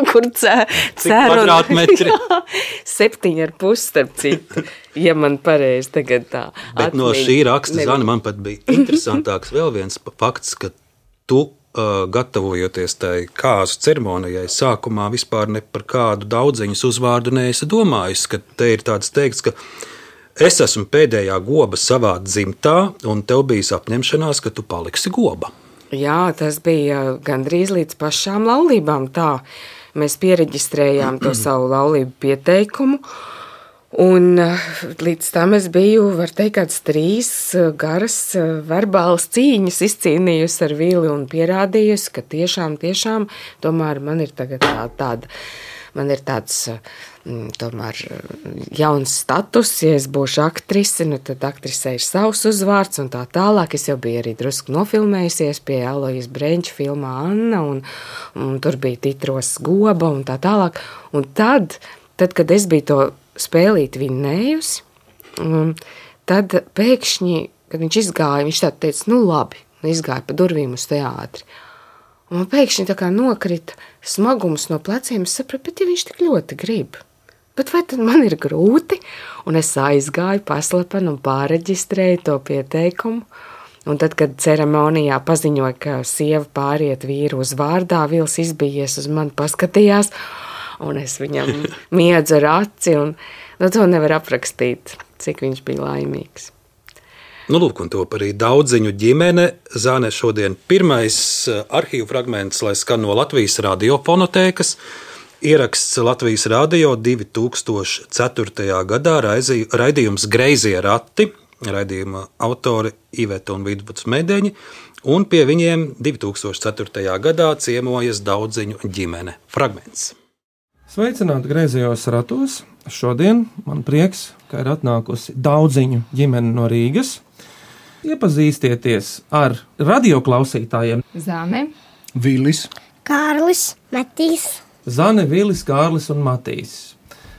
kur cē, cēr. Kvadrātmetri? Septiņi ar pus, starp citu, ja man pareizi tagad tā. Bet atmiņ, no šī raksta, nevi. Zana, man pat bija interesantāks vēl viens fakts, ka tu, uh, gatavojoties tai kāzu ceremonijai, sākumā vispār ne par kādu daudziņas uzvārdu neesi domājis, ka te ir tāds teikts, ka es esmu pēdējā goba savā dzimtā, un tev bijis apņemšanās, ka tu paliksi goba. Jā, tas bija gandrīz līdz pašām laulībām tā. Mēs piereģistrējām to savu laulību pieteikumu, un līdz tam es biju, var teikt, kāds trīs garas verbālas cīņas izcīnījusi ar Vili un pierādījusi, ka tiešām, tiešām, tomēr man ir tagad tā, tāda, man ir tāds tomēr jauns status, ja es būšu aktrise, nu tad aktrisē ir savs uzvārds un tā tālāk. Es jau biju arī drusku nofilmējusies pie Elojas Brenča filmā Anna, un, un tur bija titros Goba un tā tālāk. Un tad, tad kad es biju to spēlīt vinnējusi, tad pēkšņi, kad viņš izgāja, viņš tā teica, nu labi, izgāja pa durvīm uz teātri. Un man pēkšņi tā kā nokrita smagums no pleciem, es sapratu, bet ja viņš tik ļoti grib, bet vai tad man ir grūti? Un es aizgāju paslepenu un pāreģistrēju to pieteikumu. Un tad, kad ceremonijā paziņoja, ka sieva pāriet vīru uz vārdā, Vils izbijies uz mani, paskatījās, un es viņam miedzu ar aci, un nu, to nevar aprakstīt, cik viņš bija laimīgs. Nu, lūk, un top arī daudziņu ģimene. Zane šodien pirmais arhīvu fragments, lai skan no Latvijas radiofonotēkas. Ieraksts Latvijas radio divi tūkstoši ceturtajā gadā, raidījums Greizie rati, raidījuma autori Iveta un Vidvuds Medeņi, un pie viņiem divi tūkstoši ceturtajā gadā ciemojas daudziņu ģimene. Fragments. Sveicināti Greizajos ratos. Šodien man prieks, ka ir atnākusi daudziņu ģimene no Rīgas. Iepazīstieties ar radioklausītājiem. Zane, Vilis, Kārlis, Matīs. Zane, Vilis, Kārlis un Matīs.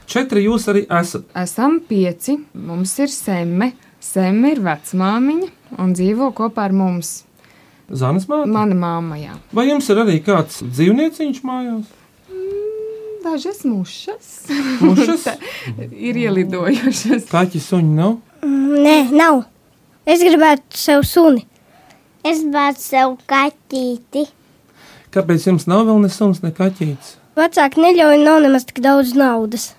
Četri jūs arī esat. Esam pieci, mums ir Semme. Semme ir vecmāmiņa un dzīvo kopā ar mums. Zanes māte? Mana māma, jā. Vai jums ir arī kāds dzīvnieciņš mājās? Dažas mušas. Mušas? Ir ielidojušas. Kaķi suņi nav? Mm, nē, nav. Es gribētu sev suni. Es gribētu sev kaķīti. Kāpēc jums nav vēl ne suns, ne kaķītis? Vecāki neļauj, nav nemaz tik daudz naudas.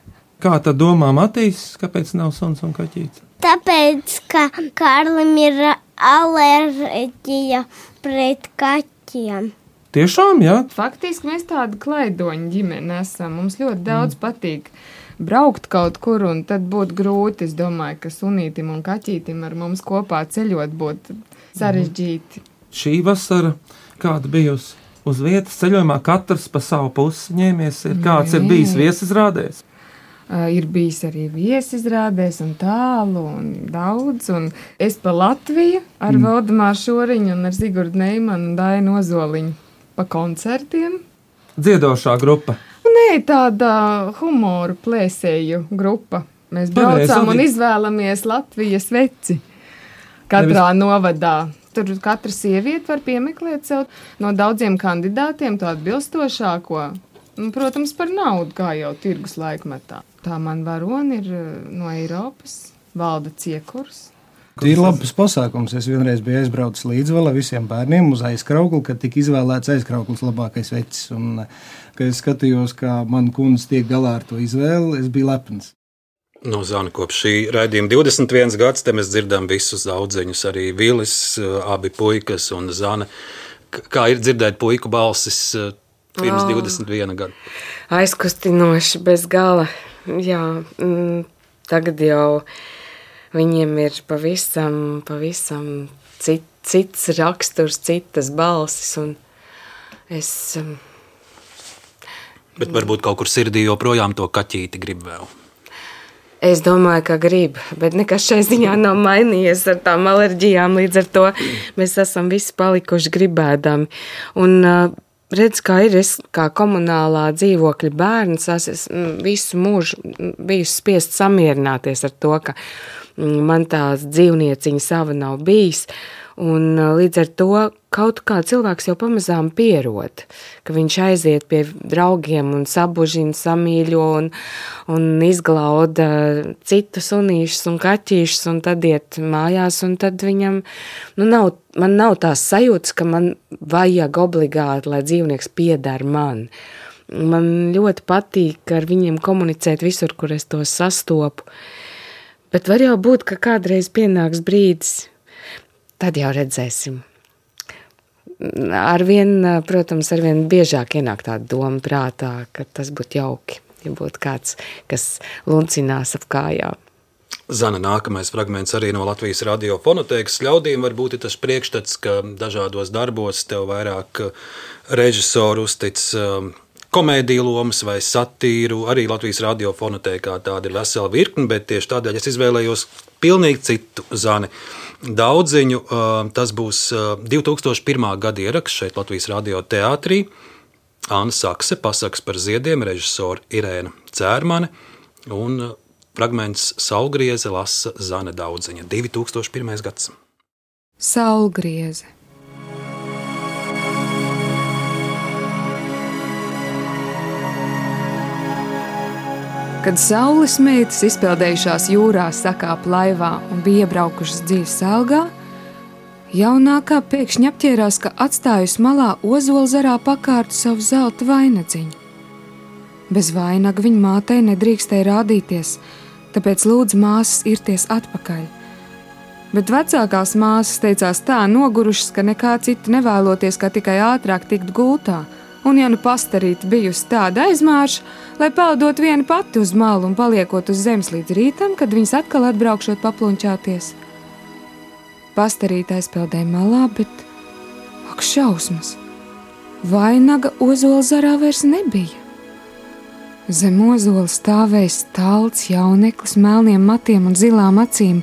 Kā tad domā Matīs, kāpēc nav suns un kaķītis? Tāpēc, ka Kārlim ir alerģija pret kaķiem. Tiešām, jā? Faktiski mēs tāda klaidoņa ģimene esam. Mums ļoti daudz mm. patīk braukt kaut kur, un tad būtu grūti. Es domāju, ka sunītim un kaķītim ar mums kopā ceļot būtu sarežģīti. Mm. Šī vasara kāda bijusi uz vietas ceļojumā, katrs pa savu pusi ņēmies, ir kāds Nē. ir bijis viesizrādēs? Uh, ir bijis arī viesizrādēs un tālu un daudz, un es pa Latviju ar mm. Valdemāru Šoriņu un ar Zigurdu Neimanu un Dainu Ozoliņu pa koncertiem. Dziedošā grupa? Nē, tāda humoru plēsēju grupa. Mēs braucām un izvēlamies Latvijas veci katrā Nevis... novadā. Tur katra sieviete var piemeklēt sev no daudziem kandidātiem to atbilstošāko. Un, protams, par naudu, kā jau tirgus laikmetā. Tā man varoni ir no Eiropas, Valda Ciekurs. Tas ir labs pasākums. Es vienreiz biju aizbraucis līdzvala visiem bērniem uz aizkraukli, kad tika izvēlēts aizkrauklis labākais vecis. Un, kad es skatījos, kā man kundze tiek galā ar to izvēli, es biju lepns. No Zana, kopš šī raidījuma divdesmit viens gads, te mēs dzirdam visus audziņus, arī Vilis, abi puikas un Zana. Kā ir dzirdēt puiku balsis pirms oh. divdesmit viena gada? Aizkustinoši, bez gala. Jā, mm, tagad jau viņiem ir pavisam, pavisam cit, cits raksturs, citas balsis, un es... Um, Bet varbūt kaut kur sirdī joprojām to kaķīti grib vēl. Es domāju, ka grib, bet nekas šai ziņā nav mainījies ar tām alerģijām, līdz ar to mēs esam visi palikuši gribēdami. Un redz, kā ir, es kā komunālā dzīvokļa bērns, es visu mūžu biju spiest samierināties ar to, ka man tās dzīvnieciņa sava nav bijis, un līdz ar to kaut kā cilvēks jau pamazām pierod, ka viņš aiziet pie draugiem un sabužina, samīļo un, un izglauda citus sunīšus un kaķīšus un tad iet mājās un tad viņam, nu nav, man nav tās sajūtas, ka man vajag obligāti, lai dzīvnieks pieder man. Man ļoti patīk ar viņiem komunicēt visur, kur es to sastopu, bet var jau būt, ka kādreiz pienāks brīdis, tad jau redzēsim. Arvien, protams, arvien biežāk ienāk tāda doma prātā, ka tas būtu jauki, ja būtu kāds, kas luncinās ap kājām. Zana, nākamais fragments arī no Latvijas radio fonotēkas. Ļaudīm varbūt ir tas priekšstats, ka dažādos darbos tev vairāk režisoru uztic komēdiju lomas vai satīru. Arī Latvijas radio fonotēkā tāda ir vesela virkne, bet tieši tādēļ es izvēlējos pilnīgi citu Zani Daudziņu. Tas būs divi tūkstoši pirmā gada ieraksts šeit Latvijas radio teātrī. Anna Sakse, Pasaks par ziediem, režisora Irēna Cērmane un fragments Saulgrieze lasa Zana Daudziņa. divi tūkstoši pirmais gads. Saulgrieze. Kad saules meitas izpeldējušās jūrā sakāp laivā un bija iebraukušas dzīves algā, jaunākā pēkšņi apķērās, ka atstājusi malā ozolzarā pakārtu savu zelta vainadziņu. Bez vainaga viņa mātei nedrīkstēja rādīties, tāpēc lūdza māsas irties atpakaļ. Bet vecākās māsas teicās tā nogurušas, ka nekā citu nevēloties, kā tikai ātrāk tikt gultā, un ja nu pastarīta bijusi tāda aizmārša, lai peldot viena pati uz malu un paliekot uz zemes līdz rītam, kad viņas atkal atbraukšot paplunčāties. Pastarīta aizpeldēja malā, bet, ak šausmas, vainaga ozolzarā vairs nebija. Zem ozola stāvēja stalts jauneklis melniem matiem un zilām acīm.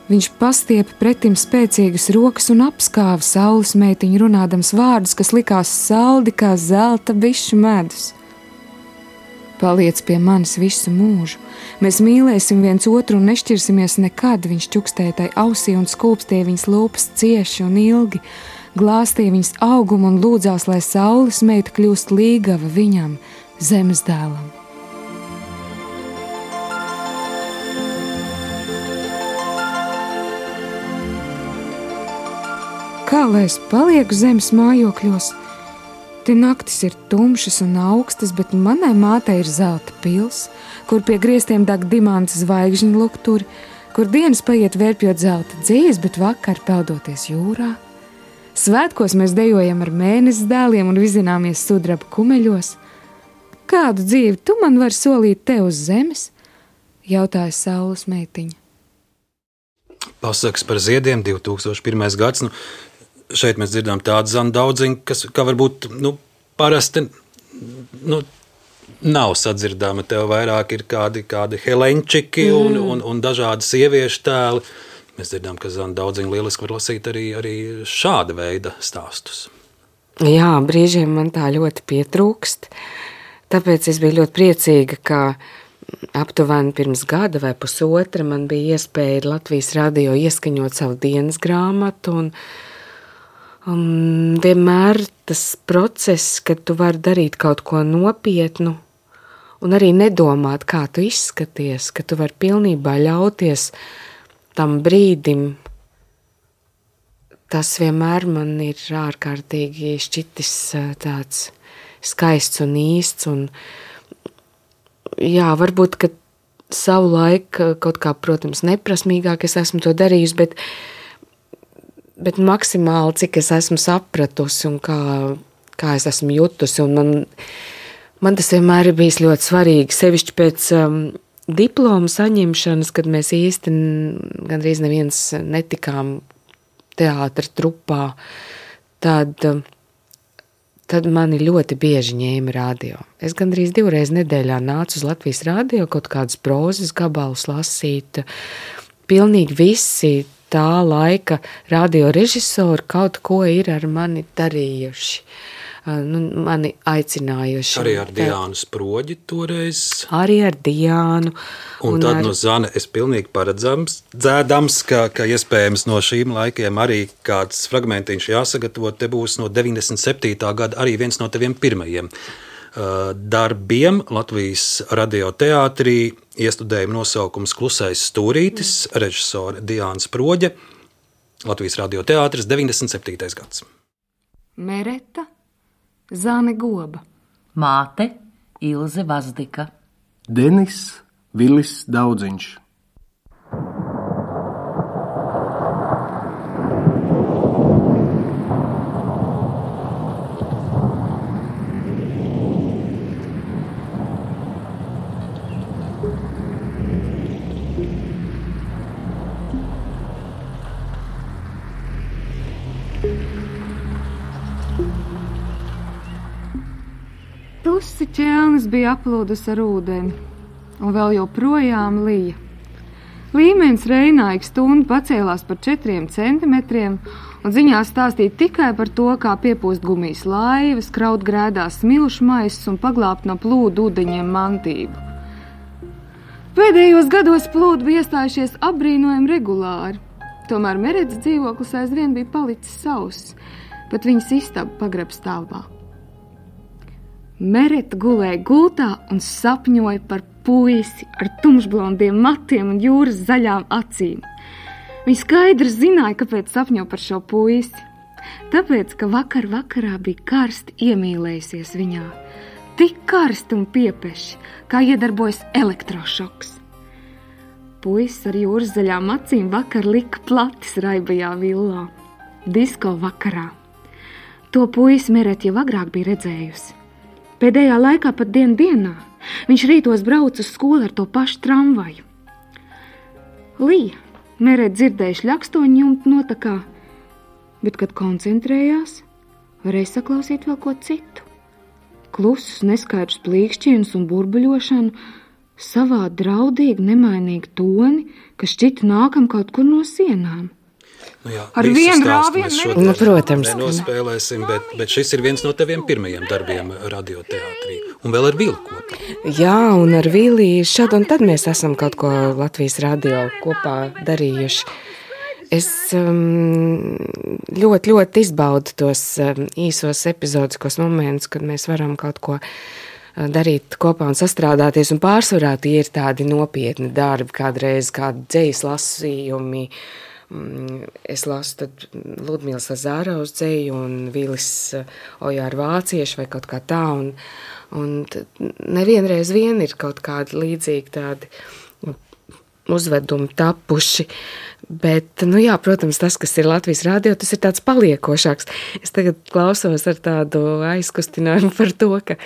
Viņš pastiepa pretim spēcīgas rokas un apskāva saules meitiņu runādams vārdus, kas likās saldi kā zelta bišu medus. Paliec pie manis visu mūžu. Mēs mīlēsim viens otru un nešķirsimies nekad, viņš čukstēja tai ausī un skūpstīja viņas lūpas cieši un ilgi, glāstīja viņas augumu un lūdzās, lai saules meita kļūst līgava viņam, zemes dēlam. Kā lai es palieku zemes mājokļos, Te naktis ir tumšas un augstas, bet manai mātei ir zelta pils, kur pie griestiem deg dimanta zvaigžņu lukturi, kur dienas paiet vērpjot zelta dzīves, bet vakar peldoties jūrā. Svētkos mēs dejojam ar mēnesi dēliem un vizināmies sudraba kumeļos. Kādu dzīvi tu man vari solīt te uz zemes? Jautāja saules meitiņa. Pasakas par ziediem, divi tūkstoši pirmais gads. Nu, šeit mēs dzirdām tādu Zanu Daudziņu, kas kā varbūt nu, parasti nu, nav sadzirdama. Tev vairāk ir kādi, kādi helenčiki un, mm. un, un dažādi sieviešu tēli. Mēs dzirdām, ka Zana Daudziņa lieliski var lasīt arī, arī šāda veida stāstus. Jā, brīžiem man tā ļoti pietrūkst. Tāpēc es biju ļoti priecīga, ka aptuveni pirms gada vai pusotra man bija iespēja Latvijas radio ieskaņot savu dienas grāmatu. Un, un vienmēr tas process, kad tu vari darīt kaut ko nopietnu un arī nedomāt, kā tu izskaties, ka tu vari pilnībā ļauties tam brīdim, tas vienmēr man ir ārkārtīgi šķitis tāds skaists un īsts. Un, jā, varbūt, ka savu laiku kaut kā, protams, neprasmīgāk es esmu to darījusi, bet, bet maksimāli, cik es esmu sapratusi un kā, kā es esmu jutusi. Un man, man tas vienmēr ir bijis ļoti svarīgi, sevišķi pēc um, diplomu saņemšanas, kad mēs īsti gandrīz neviens netikām teātra trupā, tad, tad mani ļoti bieži ņēma radio. Es gandrīz divreiz nedēļā nācu uz Latvijas radio, kaut kādas prozas gabalus lasīt. Pilnīgi visi tā laika radio režisori kaut ko ir ar mani darījuši. Nu, mani aicinājuši. Arī ar Diānu Sproģi toreiz. Arī ar Diānu. Un, un tad ar... no Zane es pilnīgi paredzams, dzēdams, ka, ka iespējams no šīm laikiem arī kāds fragmentiņš jāsagatavo. Te būs no deviņdesmit septītā gada arī viens no teviem pirmajiem uh, darbiem Latvijas radioteātrī. Iestudējuma nosaukums Klusais stūrītis, mm. režisore Diāna Sproģe. Latvijas radioteātris, deviņdesmit septītais gads. Mereta Zane Goba. Māte Ilze Vazdika. Denis Vilis Daudziņš. Tusi ķelnis bija aplūdus ar ūdeni, un vēl joprojām lija. Līmenis Reinā ik stundu pacēlās par četriem centimetriem, un ziņā stāstīja tikai par to, kā piepūst gumijas laivas, kraut grēdās smilšu maisus un paglābt no plūdu ūdeņiem mantību. Pēdējos gados plūdi bija iestājušies apbrīnojami regulāri, tomēr Meretas dzīvoklis aizvien bija palicis sauss, pat viņas istaba pagreb stāvā. Mereta gulēja gultā un sapņoja par puisi ar tumšblondiem matiem un jūras zaļām acīm. Viņa skaidri zināja, kāpēc sapņo par šo puisi. Tāpēc, ka vakar vakarā bija karsti iemīlējusies viņā. Tik karsti un piepeši, kā iedarbojas elektrošoks. Puisis ar jūras zaļām acīm vakar lika platis raibajā villā. Disko vakarā. To puisi Mereta jau agrāk bija redzējusi. Pēdējā laikā pat dienu dienā viņš rītos brauca uz skolu ar to pašu tramvaju. Lija, Mereta dzirdēja šļakstoņu jumtu notakā, bet, kad koncentrējās, varēja saklausīt vēl ko citu. Klusus, neskaidrus plīkšķienus un burbuļošanu, savā draudīgi nemainīgi toni, kas šķita nākam kaut kur no sienām. Nu jā, ar vienu rāvienu nu, protams, nenospēlēsim, bet, bet šis ir viens no teviem pirmajiem darbiem radioteātrī. Un vēl ar Vili kopā. Jā, un ar Vili šad un tad mēs esam kaut ko Latvijas radio kopā darījuši. Es um, ļoti, ļoti izbaudu tos um, īsos epizodiskos momentus, kad mēs varam kaut ko darīt kopā un sastrādāties, un pārsvarā tie ir tādi nopietni darbi, kādreiz kādi dzejas lasījumi, es lasu tad Ludmīlas Zāraus dzeju un Vilis Ojāra Vācieši vai kaut kā tā, un, un nevienreiz vien ir kaut kādi līdzīgi tādi uzvedumi tapuši, bet, nu jā, protams, tas, kas ir Latvijas radio, tas ir tāds paliekošāks. Es tagad klausos ar tādu aizkustinājumu par to, ka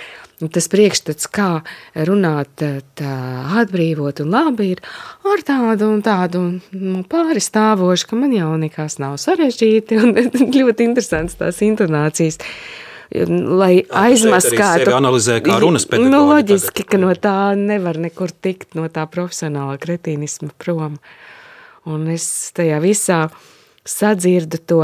tas priekšstats, kā runāt tā atbrīvot un labi ir ar tādu un tādu nu, pāri stāvošu, ka man jau nekas nav sarežģīti un ļoti interesants tās intonācijas. Lai aizmaskātu. Sevi analizē kā runas pedagoģi. Nu, loģiski, tagad. Ka no tā nevar nekur tikt, no tā profesionālā kretīnisma prom. Un es tajā visā sadzirdu to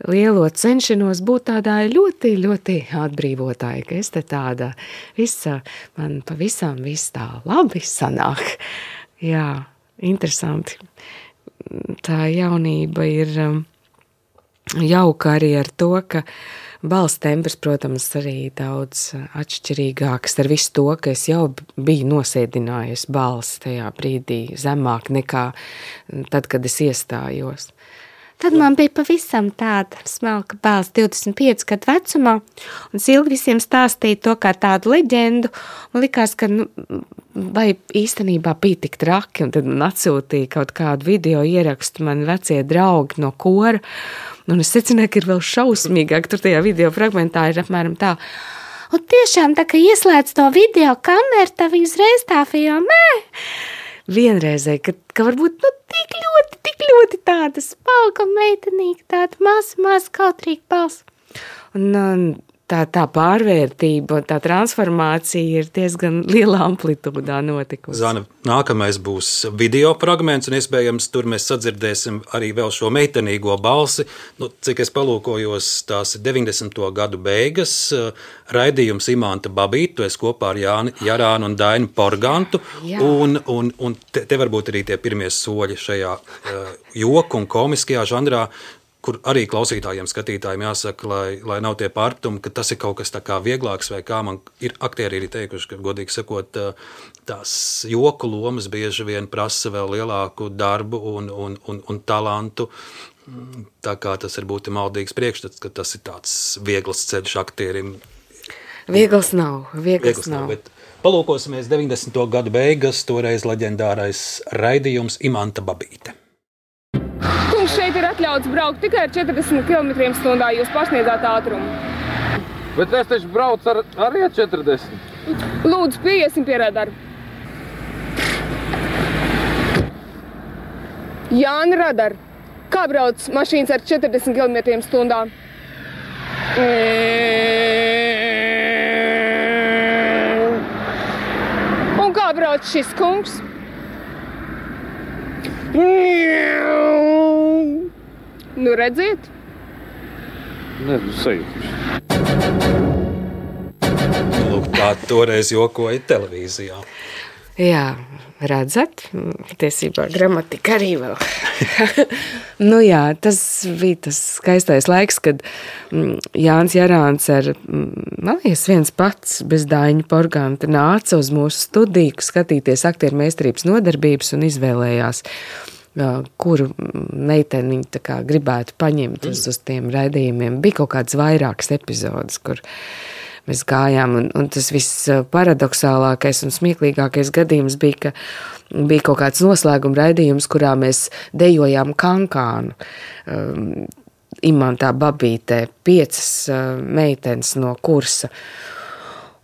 lielo cenšanos būt tādā ļoti, ļoti atbrīvotāji, ka es te tāda visa, man pavisam viss tā labi sanāk. Jā, interesanti. Tā jaunība ir jauka arī ar to, ka balss tembrs, protams, arī daudz atšķirīgāks ar visu to, ka es jau biju nosēdinājusi balsi tajā brīdī zemāk nekā tad, kad es iestājos. Tad man bija pavisam tāda smalka balss divdesmit pieci gadu vecumā, un es ilgi visiem stāstīju to kā tādu leģendu, un likās, ka, nu, vai īstenībā bija tik traki, un tad man atsūtīja kaut kādu video ierakstu mani vecie draugi no kora, un es secināju, ka ir vēl šausmīgāk, tur tajā video fragmentā ir apmēram tā, un tiešām tā, ka ieslēdz to video kameru, tā uzreiz tā filmē, vienreizēji, ka, ka varbūt, nu, tik ļoti, tik ļoti tāda spalka meitenīga, tāda maz, maz kautrīga balss. Un, un tā, tā pārvērtība, tā transformācija ir diezgan lielā amplitūdā notikusi. Zana, nākamais būs video fragments, un iespējams tur mēs sadzirdēsim arī vēl šo meitenīgo balsi. Nu, cik es palūkojos, tās ir deviņdesmito gadu beigas, raidījums Imanta Babīte, tu esi kopā ar Jāni Jarānu un Dainu Porgantu, Jā. un, un, un te, te varbūt arī tie pirmie soļi šajā uh, joku un komiskajā žanrā, kur arī klausītājiem, skatītājiem jāsaka, lai, lai nav tie pārpratumi, ka tas ir kaut kas tā kā vieglāks, vai kā man ir aktieri arī teikuši, ka, godīgi sakot, tās joku lomas bieži vien prasa vēl lielāku darbu un, un, un, un talantu, tā kā tas ir būtu maldīgs priekšstats, ka tas ir tāds viegls ceļš aktierim. Viegls nav, viegls, viegls nav. nav bet palūkosimies deviņdesmito gadu beigas, toreiz leģendārais raidījums Imanta Babīte. Šeit ir atļauts braukt tikai ar četrdesmit kilometriem stundā, jūs pasniedzāt ātrumu. Bet es taču braucu ar, arī ar četrdesmit. Lūdzu, pieiesim pie radaru. Jāni Radar, kā brauc mašīnas ar četrdesmit kilometriem stundā? Un kā brauc šis kungs? Nu, redziet? Nē, nu, sajūtuši. Lūk, tā toreiz jokoja televīzijā. Jā, redzat, tiesībā gramatika arī vēl. Nu jā, tas bija tas skaistais laiks, kad Jānis Jarāns ar, man liekas, viens pats bez Daiņa Porganta nāca uz mūsu studiju, skatīties aktieru meistarības nodarbības un izvēlējās, kuru meiteni viņa tā kā gribētu paņemt uz, uz tiem raidījumiem. Bija kaut kāds vairākas epizodes, kur mēs gājām, un, un tas viss paradoxālākais un smieklīgākais gadījums bija, ka bija kaut kāds noslēguma raidījums, kurā mēs dejojām kankānu. Um, Imantā Babītē piecas uh, meitenes no kursa.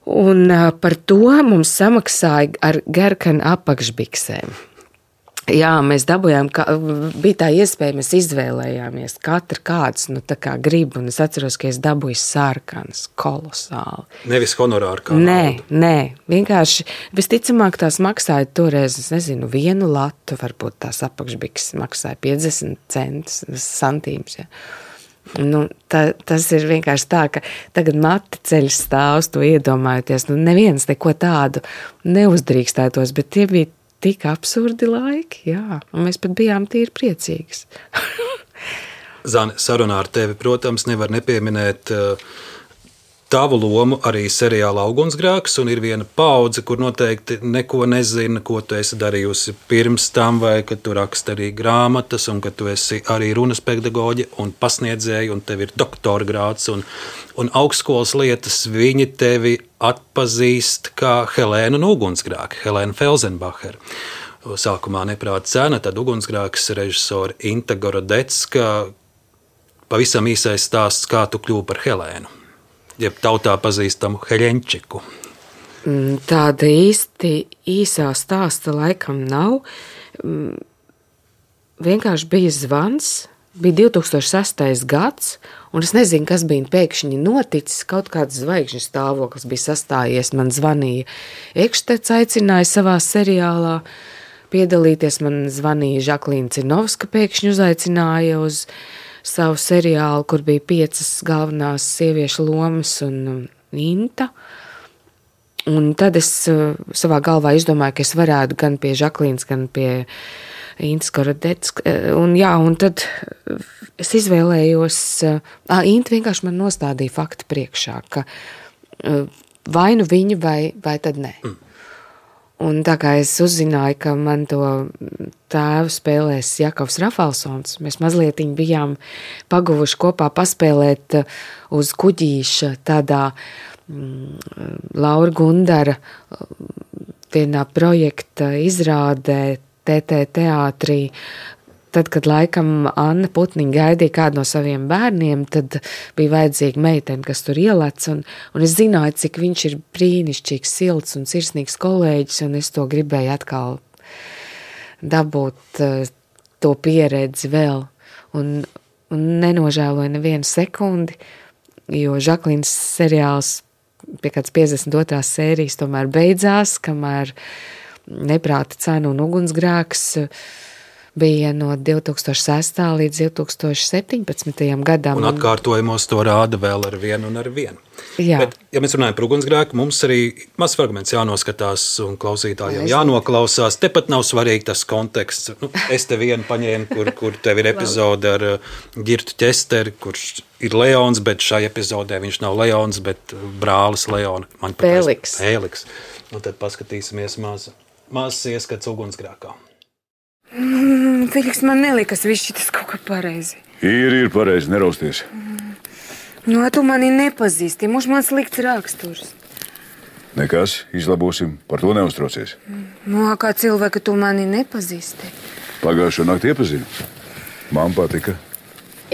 Un uh, par to mums samaksāja ar gerkanu apakšbiksēm. Jā, mēs dabujām, ka bija tā iespēja, mēs izvēlējāmies katru kāds, nu tā kā grib, un es atceros, ka es dabūju sarkanas, kolosāli. Nevis honorāru kā Nē, naudu. nē, vienkārši visticamāk tās maksāja toreiz, es nezinu, vienu latu, varbūt tās apakšbiks maksāja piecdesmit centus, santīmus, jā. Nu, tā, tas ir vienkārši tā, ka tagad mati ceļš stāvs, to iedomājoties, nu neviens neko tādu neuzdrīkstētos, bet tie bija tik absurdi laiki, jā, un mēs pat bijām tīri priecīgas. Zane, sarunā ar tevi, protams, nevar nepieminēt uh, tavu lomu arī seriālā Ugunsgrēks, un ir viena paudze, kur noteikti neko nezina, ko tu esi darījusi pirms tam, vai ka tu raksti arī grāmatas, un ka tu esi arī runas pedagoģe un pasniedzēja, un tev ir doktora grāds un, un augstskolas lietas. Viņi tevi atpazīst kā Helēnu no Ugunsgrēka, Helēnu Felsenbacheru. Sākumā Neprāta cena, tad Ugunsgrēks režisora Inta Gorodecka. Pavisam īsais stāsts, kā tu kļūsi par Helēnu, jeb tautā pazīstamu Heļenčiku. Tāda īsti īsā stāsta laikam nav. Vienkārši bija zvans, bija divi tūkstoši sestais gads, un es nezinu, kas bija pēkšņi noticis, kaut kāds zvaigžņu stāvoklis bija sastājies, man zvanīja Ekštets, aicināja savā seriālā piedalīties, man zvanīja Žaklīna Cirnovska, pēkšņi uzaicināja uz savu seriālu, kur bija piecas galvenās sieviešu lomas un Inta. Un tad es savā galvā izdomāju, ka es varētu gan pie Žaklīnas, gan pie Intas Gorodeckas. Un jā, un tad es izvēlējos, ā, Inta vienkārši man nostādīja faktu priekšā, ka vai nu viņa, vai, vai tad nē. Mm. Un tā kā es uzzināju, ka man to tēvu spēlēs Jakovs Rafalsons, mēs mazliet bijām paguvuši kopā paspēlēt uz kuģīša tādā mm, Laura Gundara vienā projekta izrādē T T teātrī. Tad, kad laikam Anna Putniņa gaidīja kādu no saviem bērniem, tad bija vajadzīga meitene, kas tur ielec, un, un es zināju, cik viņš ir brīnišķīgs, silts un sirsnīgs kolēģis, un es to gribēju atkal dabūt to pieredzi vēl, un, un nenožēloju nevienu sekundi, jo Žaklīnas seriāls pie kāds piecdesmit otrās sērijas tomēr beidzās, kamēr Neprāta cena un Ugunsgrēks bija no divi tūkstoši sestā līdz divi tūkstoši septiņpadsmitajam gadam. Un atkārtojumos to rāda vēl ar vienu un ar vienu. Jā. Bet, ja mēs runājam par Ugunsgrēku, mums arī mazs fragments jānoskatās un klausītājiem jānoklausās. Tepat nav svarīgi tas konteksts. Nu, es te vienu paņēmu, kur, kur tev ir epizode ar Girtu Ķesteri, kurš ir Leons, bet šai epizodē viņš nav Leons, bet brālis Leona. Pēliks. Pēliks. Un tad paskatīsimies maz, mazs ieskats Ugunsgrēkā. Mm, Filiks, man nelikas viss šitas kaut kā pareizi. Ir, ir pareizi, nerausties. Mm. Nu, tu mani nepazīsti, mums man slikts raksturs. Nekas, izlabosim, par to neuztraucies. Mm. Nu, kā cilvēka tu mani nepazīsti? Pagājušo nakti iepazinu. Man patika.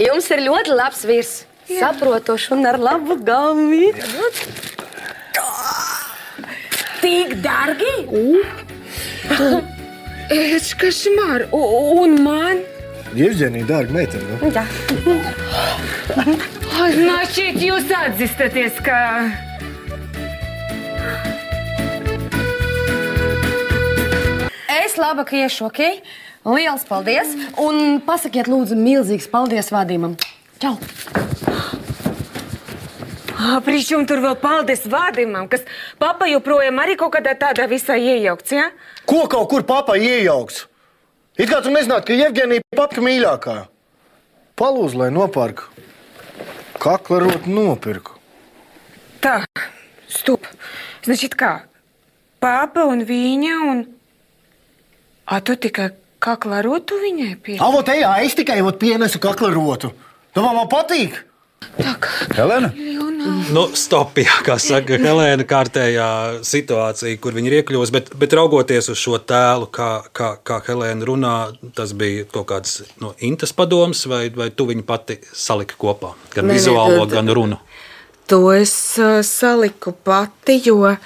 Jums ir ļoti labs vīrs. Saprotošs un ar labu galvi. Tik dargi? Uh. Es kašmār, un man? Jevģenija, dārga meitene, nu? Jā. Значит, jūs atzīstaties, ka... Es labāk iešu, ok? Liels paldies, un pasakiet lūdzu milzīgs paldies vadījumam. Čau! Причем tur vēl paldies vadījumam, kas papa joprojām arī kaut kādā tādā visā iejaukts, ja? Ko kaut kur papa iejaukts? It kā tu nezinātu, ka Jevģenija papka mīļākā. Palūdzu, lai nopērku. Kakla rotu nopirku. Tā, stup. Значит, kā? Papa un viņa un... A, tu tikai kakla rotu viņai pie... A, vot ejā, es tikai vot pienesu kakla rotu. Domā, man patīk? Tak. Helēna? Nu, stop, jā, kā saka Helēna, kārtējā situācija, kur viņa ir iekļūst, bet, bet raugoties uz šo tēlu, kā, kā, kā Helēna runā, tas bija kaut kāds no Intas padoms, vai, vai tu viņu pati salika kopā? Gan ne, vizuālo, ne, gan runu? To es uh, saliku pati, jo uh,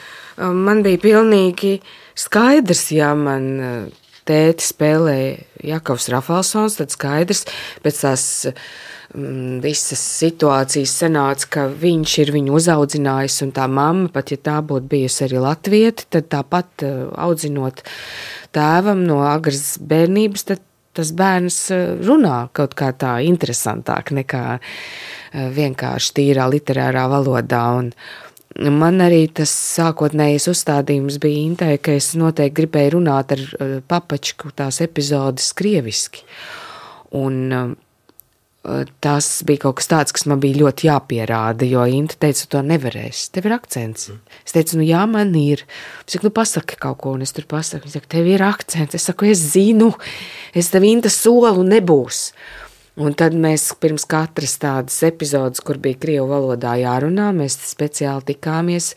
man bija pilnīgi skaidrs, ja man uh, tēti spēlēja Jakovs Rafalsons, tad skaidrs, pēc tās... visas situācijas sanāca, ka viņš ir viņu uzaudzinājis, un tā mamma, pat ja tā būtu bijusi arī latvieta, tad tāpat audzinot tēvam no agras bērnības, tad tas bērns runā kaut kā tā interesantāk nekā vienkārši tīrā literārā valodā. Un man arī tas sākotnējais uzstādījums bija Intai, ka es noteikti gribēju runāt ar papačku tās epizodes krieviski. Un tas bija kaut kas tāds, kas man bija ļoti jāpierāda, jo Inta teica, to nevarēs, tev ir akcents. Es teicu, nu jā, man ir. Es saku, nu pasaki kaut ko, un es tur pasaku. Viņš saka, tev ir akcents. Es saku, es zinu, es tev Inta solu nebūs. Un tad mēs pirms katras tādas epizodes, kur bija krievu valodā jārunā, mēs speciāli tikāmies.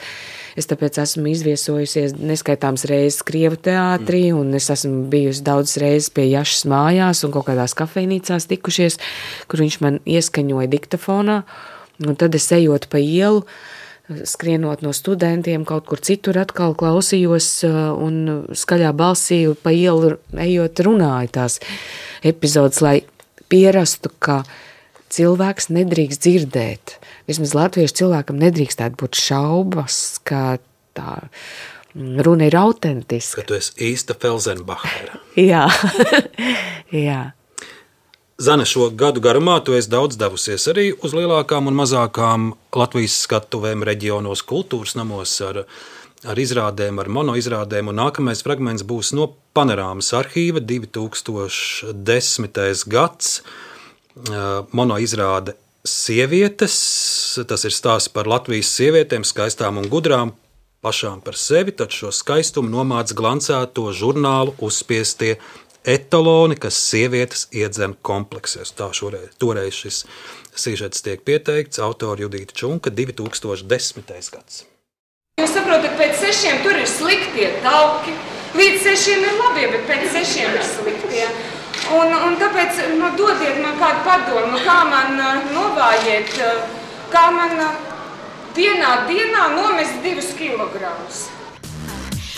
Es tāpēc esmu izviesojusies neskaitāms reizes krievu teātrī, un es esmu bijusi daudz reizes pie Jašas mājās un kaut kādās kafejnīcās tikušies, kur viņš man ieskaņoja diktafonā. Un tad es ejot pa ielu, skrienot no studentiem, kaut kur citur atkal klausījos un skaļā balsī pa ielu ejot runāju tās epizodes, lai pierastu, ka cilvēks nedrīkst dzirdēt. Vismaz latviešu cilvēkam nedrīkstētu būt šaubas, ka tā runa ir autentiska. Ka tu esi īsta Felsenbachera. Jā, jā. Zane, šo gadu garumā tu esi daudz devusies arī uz lielākām un mazākām Latvijas skatuvēm reģionos, kultūras namos ar, ar izrādēm, ar monoizrādēm, un nākamais fragments būs no Panorāmas arhīva divi tūkstoši desmitais gads, monoizrāde Sievietes, tas ir stāsts par Latvijas sievietēm, skaistām un gudrām, pašām par sevi, tad šo skaistumu nomāc glancēto žurnālu uzspiestie etaloni, kas sievietes iedzem kompleksies. Tā šoreiz, toreiz šis sižets tiek pieteikts, autori Judīta Čunka, divi tūkstoši desmitais gads. Jūs saprotat, pēc sešiem tur ir sliktie tauki, līdz sešiem ir labie, bet pēc sešiem ir sliktie. Un, un tāpēc nu, dodiet man kādu padomu, kā man uh, novājiet, uh, kā man uh, vienā dienā nomest divus kilogramus.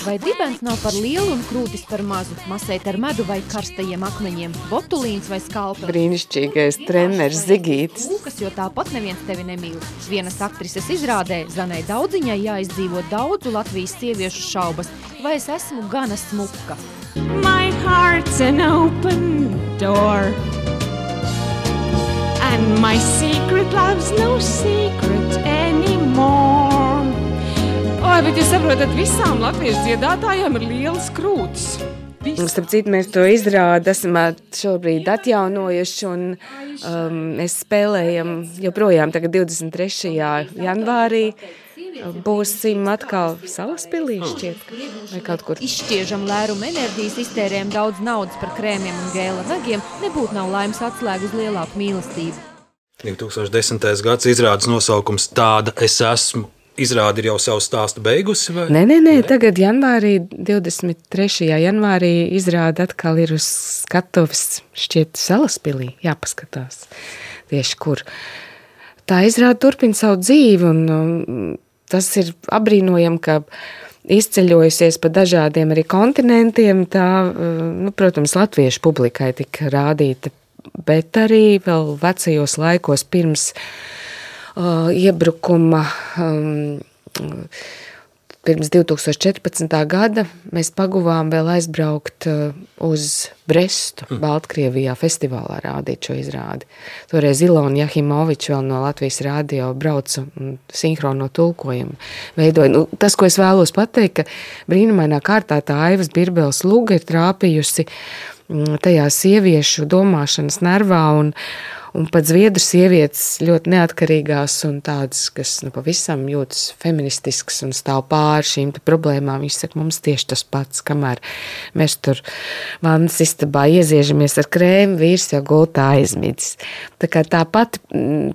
Vai dibens nav par lielu un krūtis par mazu? Masēt ar medu vai karstajiem akmeņiem? Botulīns vai skalpeli? Brīnišķīgais treneris Zigītis. Lūkas, jo tāpat neviens tevi nemīl. Vienas aktrises izrādē Zanai Daudziņai jāizdzīvo daudzu Latvijas sieviešu šaubas. Vai es esmu gana smuka? My heart's an open door And my secret love's no secret anymore Oi, bet jūs saprotat, visām latviešu dziedātājām ir lielas krūtis. Starp citu, mēs to izrādi esam šobrīd atjaunojuši un um, mēs spēlējam joprojām tagad divdesmit trešajā janvārī. Būsim atkal Salaspilī šķiet, vai kaut kur. Izšķiežam lērumu enerģijas, iztērējam daudz naudas par krēmiem un gēla nagiem, nebūtu nav laimes atslēgu uz lielāku mīlestību. divi tūkstoši desmitais gads izrādes nosaukums Tāda es esmu. Izrādi ir jau savu stāstu beigusi? Vai? Nē, nē, nē, tagad janvārī, divdesmit trešajā janvārī izrāda atkal ir uz skatuves šķiet Salaspilī, jāpaskatās tieši kur. Tā izrāda turpina savu dzīvi un um, tas ir apbrīnojami, ka izceļojusies pa dažādiem arī kontinentiem, tā, nu, protams, latviešu publikai tika rādīta, bet arī vēl vecajos laikos pirms Uh, iebrukuma um, pirms divi tūkstoši četrpadsmitā gada mēs paguvām vēl aizbraukt uh, uz Brestu, mm. Baltkrievijā festivālā rādīt šo izrādi. Toreiz Ilona Jahimoviča vēl no Latvijas radio brauca un sinhrono tulkojumu veidoja. Nu, tas, ko es vēlos pateikt, ka brīnumainā kārtā tā Aivas Birbeles luga ir trāpījusi mm, tajā sieviešu domāšanas nervā un Un pat zviedru sievietes ļoti neatkarīgās un tādas, kas nu, pavisam jūtas feministiskas un stāv pāri šīm problēmām. Viņš saka, mums tieši tas pats, kamēr mēs tur vannas istabā ieziežamies ar krēmu, vīrs jau gultā aizmidzis. Tā kā tā pati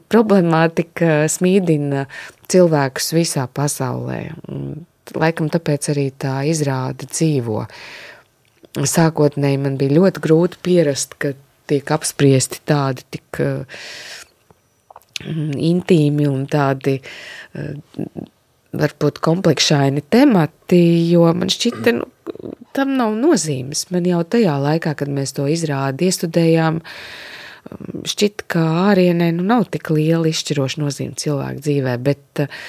problemātika smīdina cilvēkus visā pasaulē. Un, laikam tāpēc arī tā izrāda dzīvo. Sākotnēji man bija ļoti grūti pierast, ka tiek apspriesti tādi tik uh, intīmi un tādi uh, varbūt komplekšaini temati, jo man šķita, nu, tam nav nozīmes. Man jau tajā laikā, kad mēs to izrādi iestudējām, šķita, ka ārienē nu, nav tik liela izšķiroša nozīme cilvēku dzīvē, bet uh,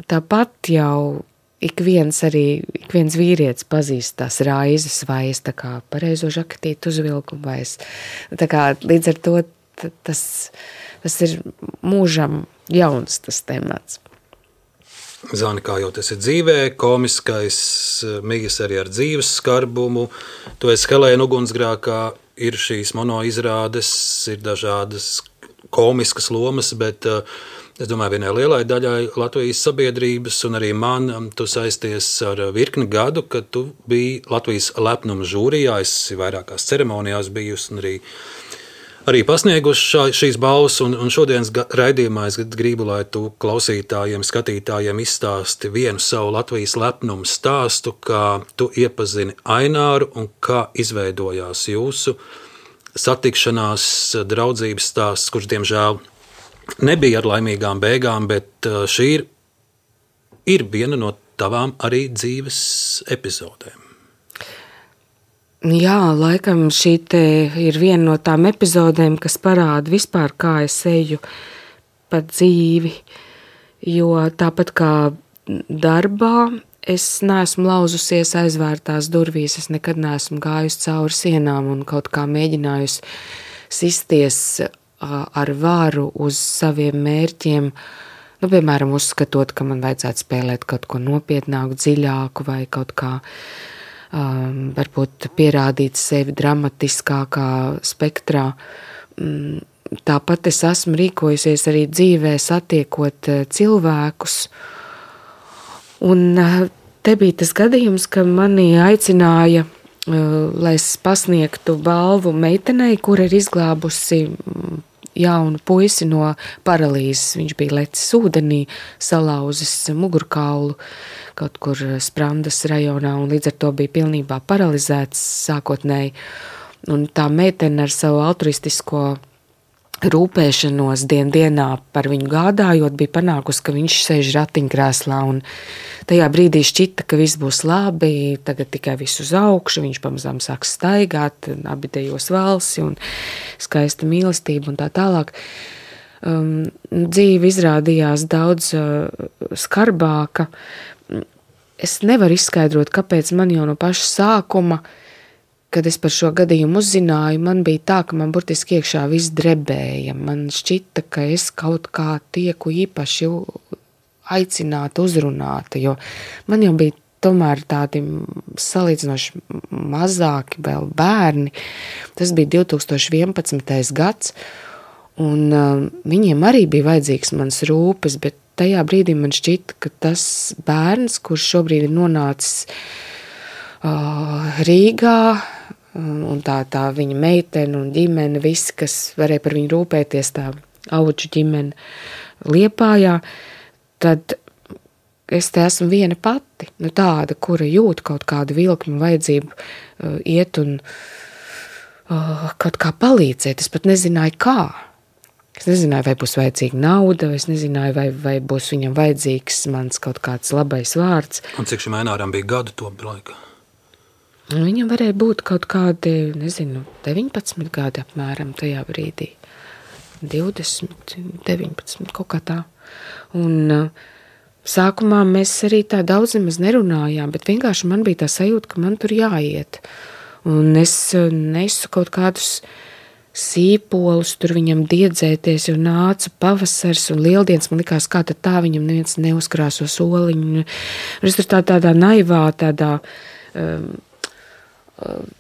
tāpat jau ik viens arī, ik viens vīrietis pazīst tās raizes, vai es tā kā pareizo žakatītu uzvilku, vai es tā kā līdz ar to tas, tas ir mūžam jauns tas temats. Zani, kā jau tas ir dzīvē, komiskais, mīgas arī ar dzīves skarbumu, tu esi Helēna ugunsgrēkā ir šīs monoizrādes, ir dažādas komiskas lomas, bet uh, es domāju, vienai lielai daļai Latvijas sabiedrības un arī man tu saisties ar virkni gadu, kad tu biji Latvijas lepnuma žūrijā, esi vairākās ceremonijās bijusi un arī, arī pasnieguši šīs balvas, un, un šodienas raidījumā es gribu, lai tu klausītājiem, skatītājiem izstāsti vienu savu Latvijas lepnuma stāstu, kā tu iepazini Aināru un kā izveidojās jūsu satikšanās draudzības stāsts, kurš diemžēl nebija ar laimīgām beigām, bet šī ir, ir viena no tavām arī dzīves epizodēm. Jā, laikam šī te ir viena no tām epizodēm, kas parāda vispār, kā es eju pa dzīvi, jo tāpat kā darbā, es neesmu lauzusies aizvērtās durvīs, es nekad neesmu gājusi cauri sienām un kaut kā mēģinājusi sisties ar varu uz saviem mērķiem, nu, piemēram, uzskatot, ka man vajadzētu spēlēt kaut ko nopietnāku, dziļāku vai kaut kā um, varbūt pierādīt sevi dramatiskākā spektrā. Tāpat es esmu rīkojusies arī dzīvē, satiekot cilvēkus, un te bija tas gadījums, ka mani aicināja, lai es pasniegtu balvu meitenei, kur ir izglābusi jaunu puisi no paralīzes. Viņš bija lecis ūdenī, salauzis mugurkaulu kaut kur Sprandas rajonā, un līdz ar to bija pilnībā paralizēts sākotnēji. Un tā meitene ar savu altruistisko rūpēšanos dien dienā par viņu gādājot, bija panākusi, ka viņš sēž ratiņkrēslā, un tajā brīdī šķita, ka viss būs labi, tagad tikai viss uz augšu, viņš pamazām sāks staigāt, abi dejos valsi un skaista mīlestība un tā tālāk. Um, dzīve izrādījās daudz uh, skarbāka. Es nevaru izskaidrot, kāpēc man jau no paša sākuma, kad es par šo gadījumu uzzināju, man bija tā, ka man burtiski iekšā viss drebēja. Man šķita, ka es kaut kā tieku īpaši aicināta, uzrunāta, jo man jau bija tomēr tādi salīdzinoši mazāki vēl bērni. Tas bija divi tūkstoši vienpadsmitais gads, un uh, viņiem arī bija vajadzīgs mans rūpes, bet tajā brīdī man šķita, ka tas bērns, kurš šobrīd ir nonācis uh, Rīgā, un tā, tā viņa meitene un ģimene, visi, kas varēja par viņu rūpēties, tā auģu ģimene Liepājā, tad es te esmu viena pati, nu tāda, kura jūt kaut kādu vilkmu vajadzību uh, iet un uh, kaut kā palīdzēt. Es pat nezināju, kā. Es nezināju, vai būs vajadzīga nauda, es nezināju, vai, vai būs viņam vajadzīgs mans kaut kāds labais vārds. Un cik šim Aināram bija gadu to laikā? Viņam varēja būt kaut kādi, nezinu, deviņpadsmit gadi apmēram tajā brīdī. divdesmit, deviņpadsmit, kaut kā tā. Un uh, sākumā mēs arī tā daudz nemaz nerunājām, bet vienkārši man bija tā sajūta, ka man tur jāiet. Un es uh, nesu kaut kādus sīpolus tur viņam diedzēties, jo nāca pavasars un lieldienas, man likās, kā tad tā viņam neviens neuzkrāso soliņu. Un es tur tā, tādā naivā, tādā um,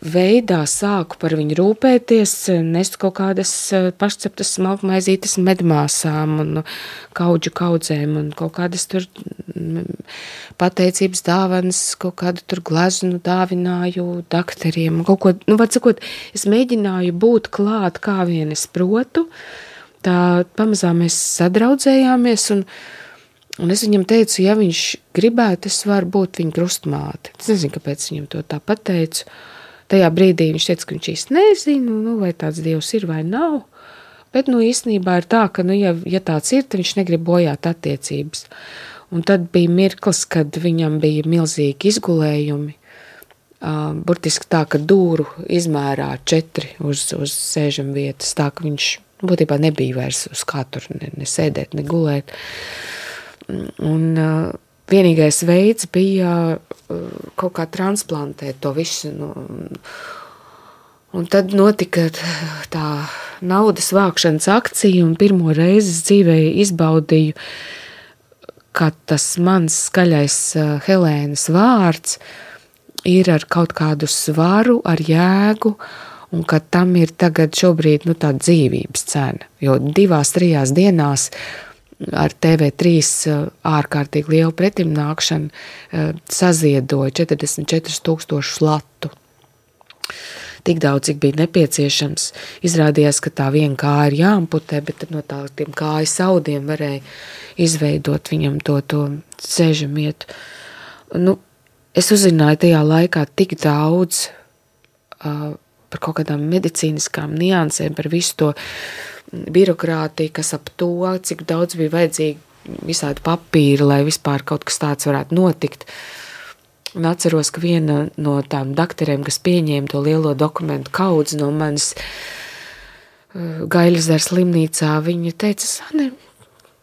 veidā sāku par viņu rūpēties, nestu kaut kādas pašceptas smalkmaizītes medmāsām un kaudžu kaudzēm un kaut kādas tur pateicības dāvanas, kaut kādu tur gleznu dāvināju dakteriem. Kaut ko, nu, var sakot, es mēģināju būt klāt, kā vien es protu. Tā pamazām mēs sadraudzējāmies un Un es viņam teicu, ja viņš gribētu, es varu būt viņa krustmāte. Es nezinu, kāpēc viņam to tā pateicu. Tajā brīdī viņš teica, ka viņš īsti nezinu, nu, vai tāds dievs ir vai nav. Bet, nu, īstenībā ir tā, ka, nu, ja, ja tāds ir, tad viņš negrib bojāt attiecības. Un tad bija mirklis, kad viņam bija milzīgi izgulējumi. Uh, burtiski tā, ka dūru izmērā četri uz, uz sēžam vietas, tā, ka viņš būtībā nebija vairs uz kā tur ne, ne sēdēt, ne gulēt. Un uh, vienīgais veids bija uh, kaut kā transplantēt to visu. Nu, un tad notika tā naudas vākšanas akcija, un pirmo reizi dzīvē izbaudīju, ka tas mans skaļais uh, Helēnas vārds ir ar kaut kādu svaru, ar jēgu, un ka tam ir tagad šobrīd nu, tā dzīvības cena. Jo divās, trijās dienās ar T V trīs ārkārtīgi lielu pretimnākšanu saziedoja četrdesmit četrus tūkstošus latu. Tik daudz, cik bija nepieciešams. Izrādījās, ka tā viena kāja ir jāamputē, bet tad no tā tiem kājas audiem varēja izveidot viņam to, to sēžamietu. Nu, es uzzināju tajā laikā tik daudz uh, par kaut kādām medicīniskām niansēm, par visu to birokrātiju, kas ap to, cik daudz bija vajadzīgi visādi papīri, lai vispār kaut kas tāds varētu notikt. Un atceros, ka viena no tām dakterēm, kas pieņēma to lielo dokumentu kaudzi no manis uh, Gaiļezera slimnīcā, viņa teica, Sane,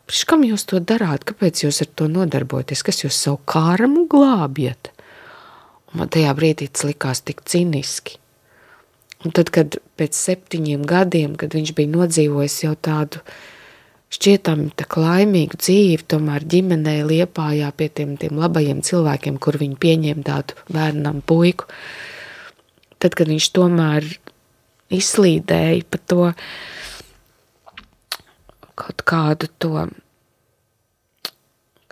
priekš kam jūs to darāt? Kāpēc jūs ar to nodarbojaties? Kas jūs savu kārmu glābjat? Un man tajā brīdī tas likās tik ciniski. Un tad, kad pēc septiņiem gadiem, kad viņš bija nodzīvojis jau tādu šķietami tā laimīgu dzīvi, tomēr ģimenē Liepājā pie tiem, tiem labajiem cilvēkiem, kur viņi pieņēma tādu bērnam puiku, tad, kad viņš tomēr izslīdēja pa to kaut kādu to,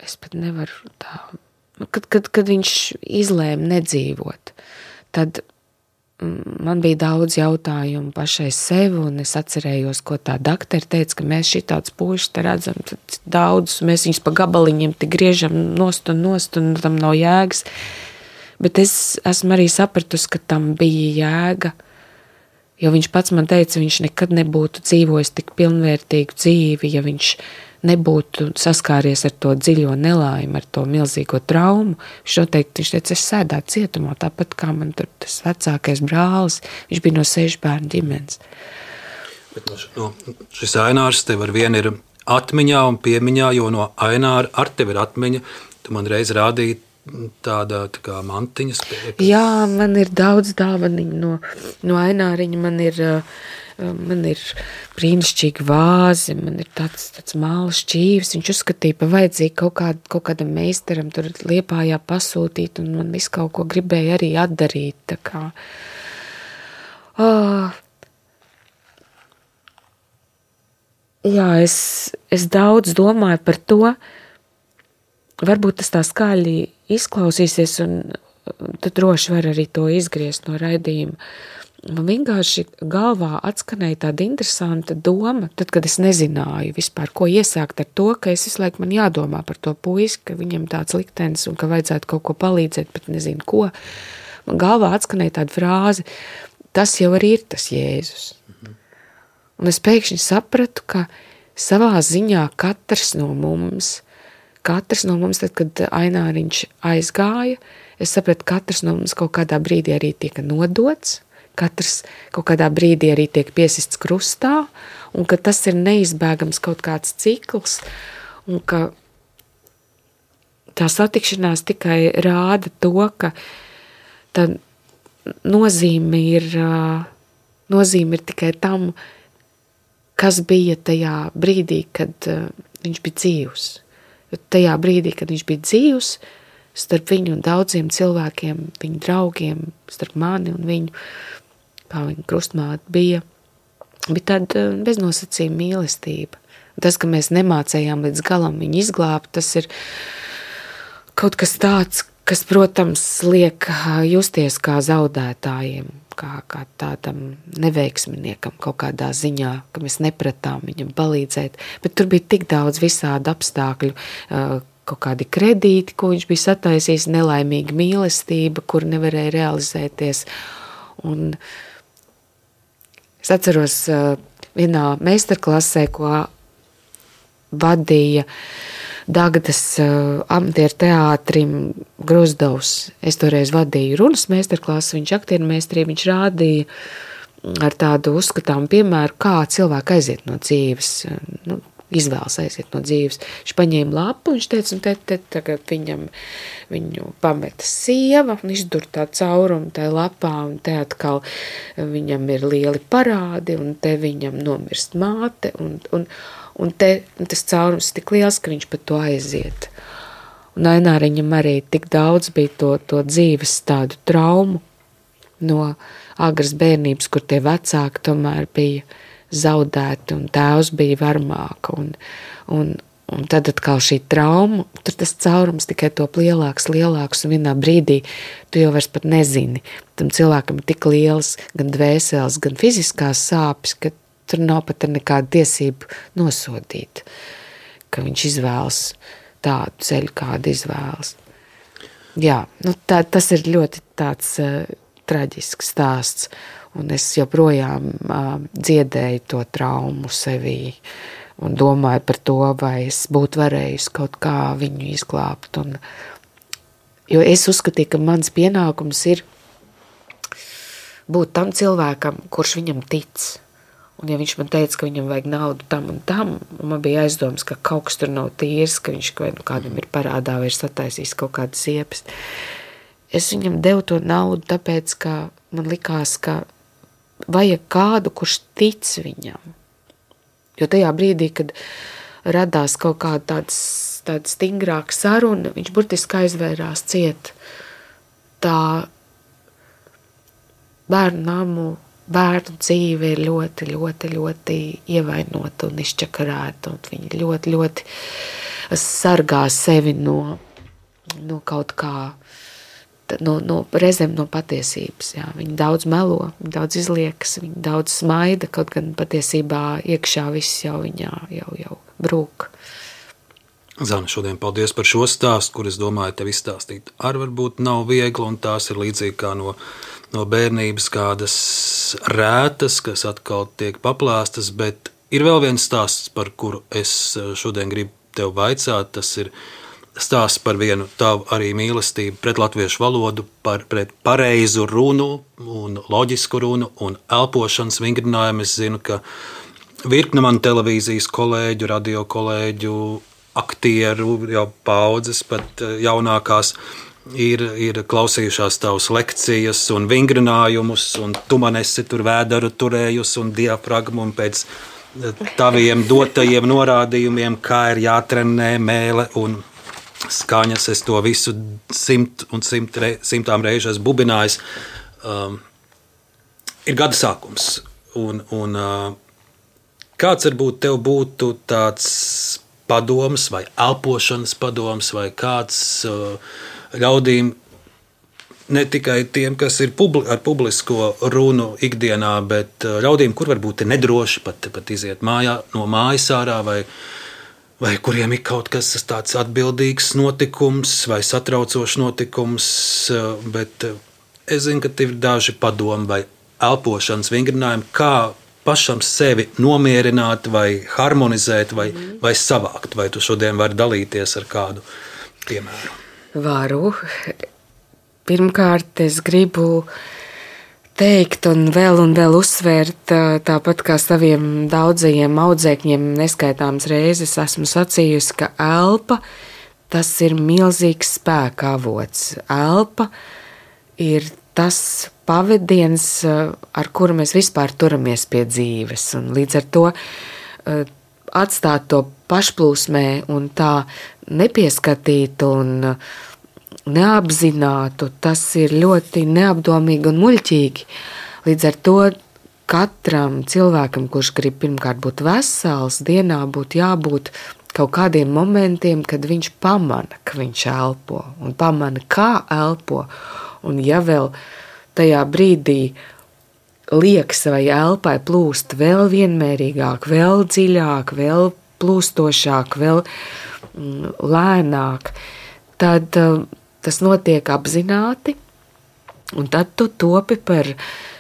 es pat nevaru tā, kad, kad, kad viņš izlēma nedzīvot, tad man bija daudz jautājumu pašai sev, un es atcerējos, ko tā dakteri teica, ka mēs šitāds puišus te redzam daudz, mēs viņus pa gabaliņiem te griežam nost un nost, un tam nav jēgas. Bet es esmu arī sapratusi, ka tam bija jēga, jo viņš pats man teica, viņš nekad nebūtu dzīvojis tik pilnvērtīgu dzīvi, ja viņš nebūtu saskāries ar to dziļo nelaimi, ar to milzīgo traumu. Viņš noteikti, viņš teica, es sēdētu cietumā, tāpat kā man tur tas vecākais brālis, viņš bija no sešu bērnu ģimenes. Bet no, šis Ainārs tev ar vienu ir atmiņā un piemiņā, jo no Aināra ar tevi ir atmiņa, tu man reiz rādīji tādā tā kā mantiņas. Pie... Jā, man ir daudz dāvaniņu no, no Aināriņa, man ir... Man ir brīnišķīgi vāzi, man ir tāds, tāds māla šķīvis. Viņš uzskatīja pa vajadzīgi kaut, kād, kaut kādam meistaram tur Liepājā pasūtīt, un man visu kaut ko gribēja arī atdarīt. Tā kā. Oh. Jā, es, es daudz domāju par to. Varbūt tas tā skaļi izklausīsies, un tu droši var arī to izgriezt no raidījuma. Man vienkārši galvā atskanēja tāda interesanta doma, tad, kad es nezināju vispār, ko iesākt ar to, ka es visu laiku man jādomā par to puisi, ka viņam tāds liktenis un ka vajadzētu kaut ko palīdzēt, bet nezinu ko. Man galvā atskanēja tāda frāze, tas jau arī ir tas Jēzus. Mhm. Un es pēkšņi sapratu, ka savā ziņā katrs no mums, katrs no mums, tad, kad Aināriņš aizgāja, es sapratu, katrs no mums kaut kādā brīdī arī tika nodots, katrs kaut kādā brīdī arī tiek piesists krustā, un ka tas ir neizbēgams kaut kāds cikls, un ka tā satikšanās tikai rāda to, ka tā nozīme ir, nozīme ir tikai tam, kas bija tajā brīdī, kad viņš bija dzīvs. Jo tajā brīdī, kad viņš bija dzīvs, starp viņu un daudziem cilvēkiem, viņu draugiem, starp mani un viņu, kā viņa krustmāte bija, bija tāda beznosacījuma mīlestība. Tas, ka mēs nemācējām līdz galam viņu izglābt, tas ir kaut kas tāds, kas, protams, liek justies kā zaudētājiem, kā, kā tādam neveiksminiekam kaut kādā ziņā, ka mēs nepratām viņam palīdzēt. Bet tur bija tik daudz visādi apstākļu, kaut kādi kredīti, ko viņš bija sataisījis, nelaimīga mīlestība, kur nevarēja realizēties. Un es atceros vienā meistarklasē, ko vadīja Dagdas amatieru teātrim Gruzdovs. Es toreiz vadīju runas meistarklasu, viņš aktieru meistarību, viņš rādīja ar tādu uzskatāmu piemēru, kā cilvēki aiziet no dzīves, nu, izvēlas aiziet no dzīves. Viņš paņēma lapu, viņš teica, un te, te tagad viņam, viņu pameta sieva, un izdur tā caurumu tajā lapā, un te atkal viņam ir lieli parādi, un te viņam nomirst māte, un, un, un te un tas caurums tik liels, ka viņš pat to aiziet. Un Aināriņam arī tik daudz bija to, to dzīves tādu traumu no agras bērnības, kur tie vecāki tomēr bija zaudēti un tēvs bija varmāka. Un, un, un tad atkal šī trauma, tur tas caurums tikai top lielāks, lielāks, un vienā brīdī tu jau vairs pat nezini. Tam cilvēkam ir tik liels gan dvēseles, gan fiziskās sāpes, ka tur nav pat nekāda tiesība nosodīt, ka viņš izvēlas tādu ceļu, kādu izvēlas. Jā, nu tā, tas ir ļoti tāds uh, traģisks stāsts, un es joprojām uh, dziedēju to traumu sevī un domāju par to, vai es būtu varējusi kaut kā viņu izglābt. Un, jo es uzskatīju, ka mans pienākums ir būt tam cilvēkam, kurš viņam tic. Un ja viņš man teica, ka viņam vajag naudu tam un tam, un man bija aizdomas, ka kaut kas tur nav tīrs, ka viņš vai nu kādam ir parādā vai ir sataisījis kaut kādas ziepes. Es viņam devu to naudu, tāpēc, ka man likās, ka vajag kādu, kurš tic viņam. Jo tajā brīdī, kad radās kaut kāda tāds, tāda stingrāka saruna, viņš burtiski aizvērās ciet. Tā bērnu namu bērnu dzīve ir ļoti, ļoti, ļoti ievainota un izčakarēta, un viņi ļoti, ļoti sargā sevi no, no kaut kā, no, no reizēm no patiesības. Jā. Viņi daudz melo, viņi daudz izliekas, viņi daudz smaida, kaut gan patiesībā iekšā viss jau viņā jau, jau brūk. Zana, šodien paldies par šo stāstu, kur es domāju, tev izstāstīt arī varbūt nav viegli, un tās ir līdzīgi kā no no bērnības kādas rētas, kas atkal tiek paplāstas, bet ir vēl viens stāsts, par kuru es šodien gribu tev vaicāt. Tas ir stāsts par vienu tavu arī mīlestību pret latviešu valodu, par, pret pareizu runu un loģisku runu un elpošanas vingrinājumu. Es zinu, ka virkne man televīzijas kolēģu, radio kolēģu, aktieru, jau paudzes, pat jaunākās, Ir, ir klausījušās tavas lekcijas un vingrinājumus, un tu man esi tur vēdaru turējusi un diafragmu, un pēc taviem dotajiem norādījumiem, kā ir jātrenē mēle un skaņas, es to visu simt un simt re, simtām reižu esmu bubinājis. Um, ir gada sākums, un, un uh, kāds varbūt tev būtu tāds padoms vai elpošanas padoms vai kāds uh, ļaudīm, ne tikai tiem, kas ir publi, ar publisko runu ikdienā, bet ļaudīm, kur varbūt ir nedroši pat, pat iziet mājā, no mājas ārā, vai, vai kuriem ir kaut kas tāds atbildīgs notikums vai satraucošs notikums, bet es zinu, ka tev ir daži padomi vai elpošanas vingrinājumi, kā pašam sevi nomierināt vai harmonizēt vai, mm. vai savākt, vai tu šodien vari dalīties ar kādu piemēru? Varu. Pirmkārt, es gribu teikt un vēl un vēl uzsvērt, tāpat kā saviem daudzajiem audzēkņiem neskaitāmas reizes esmu sacījusi, ka elpa, tas ir milzīgs spēka avots. Elpa ir tas pavadiens, ar kuru mēs vispār turamies pie dzīves, un līdz ar to atstāt to pašplūsmē un tā nepieskatītu un neapzinātu, tas ir ļoti neapdomīgi un muļķīgi. Līdz ar to katram cilvēkam, kurš grib pirmkārt būt vesels, dienā būtu jābūt kaut kādiem momentiem, kad viņš pamana, ka viņš elpo, un pamana, kā elpo, un ja vēl tajā brīdī liekas vai elpai plūst vēl vienmērīgāk, vēl dziļāk, vēl plūstošāk, vēl mm, lēnāk, tad uh, tas notiek apzināti, un tad tu topi par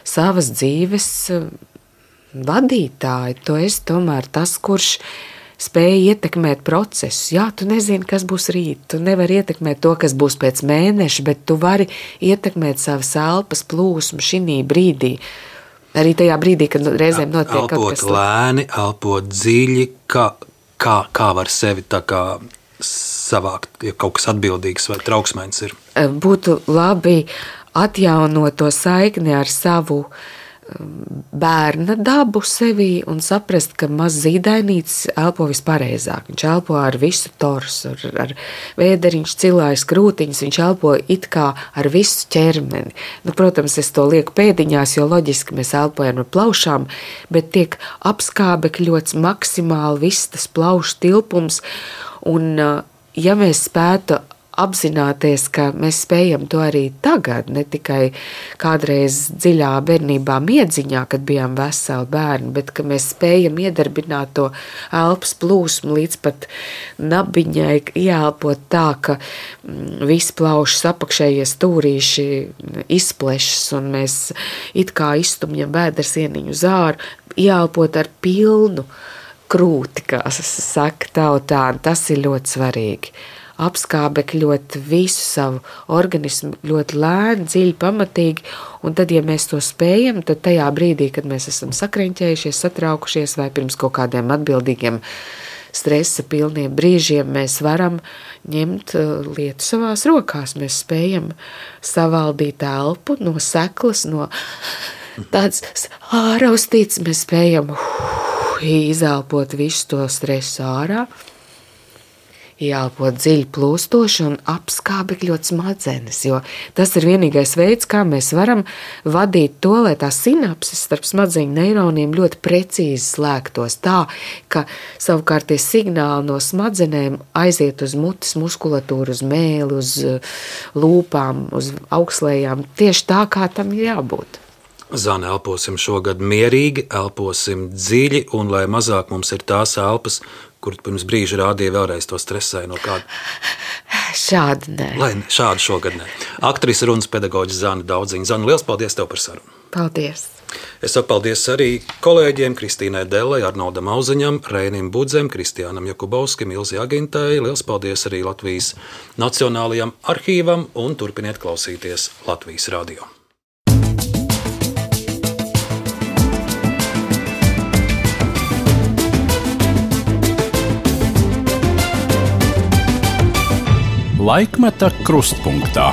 savas dzīves uh, vadītāju. Tu esi tomēr tas, kurš spēja ietekmēt procesu. Jā, tu nezini, kas būs rīt, tu nevari ietekmēt to, kas būs pēc mēneša, bet tu vari ietekmēt savas elpas plūsmu šinī brīdī. Arī tajā brīdī, kad reizēm notiek elpot kaut kas. Elpot lēni, elpot dziļi, kā, kā, kā var sevi tā kā savākt, ja kaut kas atbildīgs vai trauksmēns ir. Būtu labi atjaunot to saikni ar savu bērna dabu sevī un saprast, ka maz zīdainītis elpo vispareizāk. Viņš elpo ar visu torsu, ar, ar vēderiņš, cilājas krūtiņas, viņš elpo it kā ar visu ķermeni. Nu, protams, es to lieku pēdiņās, jo loģiski mēs elpojam ar plaušām, bet tiek apskābekļots maksimāli viss tas plaušu tilpums, un ja mēs spētu apzināties, ka mēs spējam to arī tagad, ne tikai kādreiz dziļā bērnībā miedziņā, kad bijām veseli bērni, bet ka mēs spējam iedarbināt to elpas plūsmu līdz pat nabiņai, ieelpot tā, ka visi plaušas apakšējie stūrīši izplešas un mēs it kā izstumjam vēdersieniņu uz āru, ieelpot ar pilnu krūti, kā saka tautā, tas ir ļoti svarīgi. Apskābekļot visu savu organismu ļoti lēni, dziļi, pamatīgi, un tad, ja mēs to spējam, tad tajā brīdī, kad mēs esam sakreņķējušies, satraukušies vai pirms kaut kādiem atbildīgiem stresa pilniem brīžiem, mēs varam ņemt lietu savās rokās, mēs spējam savaldīt elpu no seklas, no tāds āraustīts, mēs spējam uh, izelpot visu to stresu ārā, ieelpot dziļi plūstoši un apskābekļot smadzenes, jo tas ir vienīgais veids, kā mēs varam vadīt to, lai tās sinapses starp smadzeņu neironiem ļoti precīzi slēgtos tā, ka savukārt tie signāli no smadzenēm aiziet uz mutes muskulatūru, uz mēli, uz lūpām, uz augslējām, tieši tā, kā tam ir jābūt. Zane, elposim šogad mierīgi, elposim dziļi, un lai mazāk mums ir tās elpas, kur pirms brīža rādīja vēlreiz to stresēju no kāda. Šādi nē. Lai šādi šogad nē. Aktrise runas pedagoģis Zane Daudziņa. Zane, liels paldies tev par sarunu. Paldies. Es saku paldies arī kolēģiem Kristīnai Dellai, Arnoldam Auziņam, Reinim Budzem, Kristiānam Jakubovskim, Ilzi Agintai. Liels paldies arī Latvijas Nacionālajam arhīvam un turpiniet klausīties Latvijas radio. Laikmeta krustpunktā.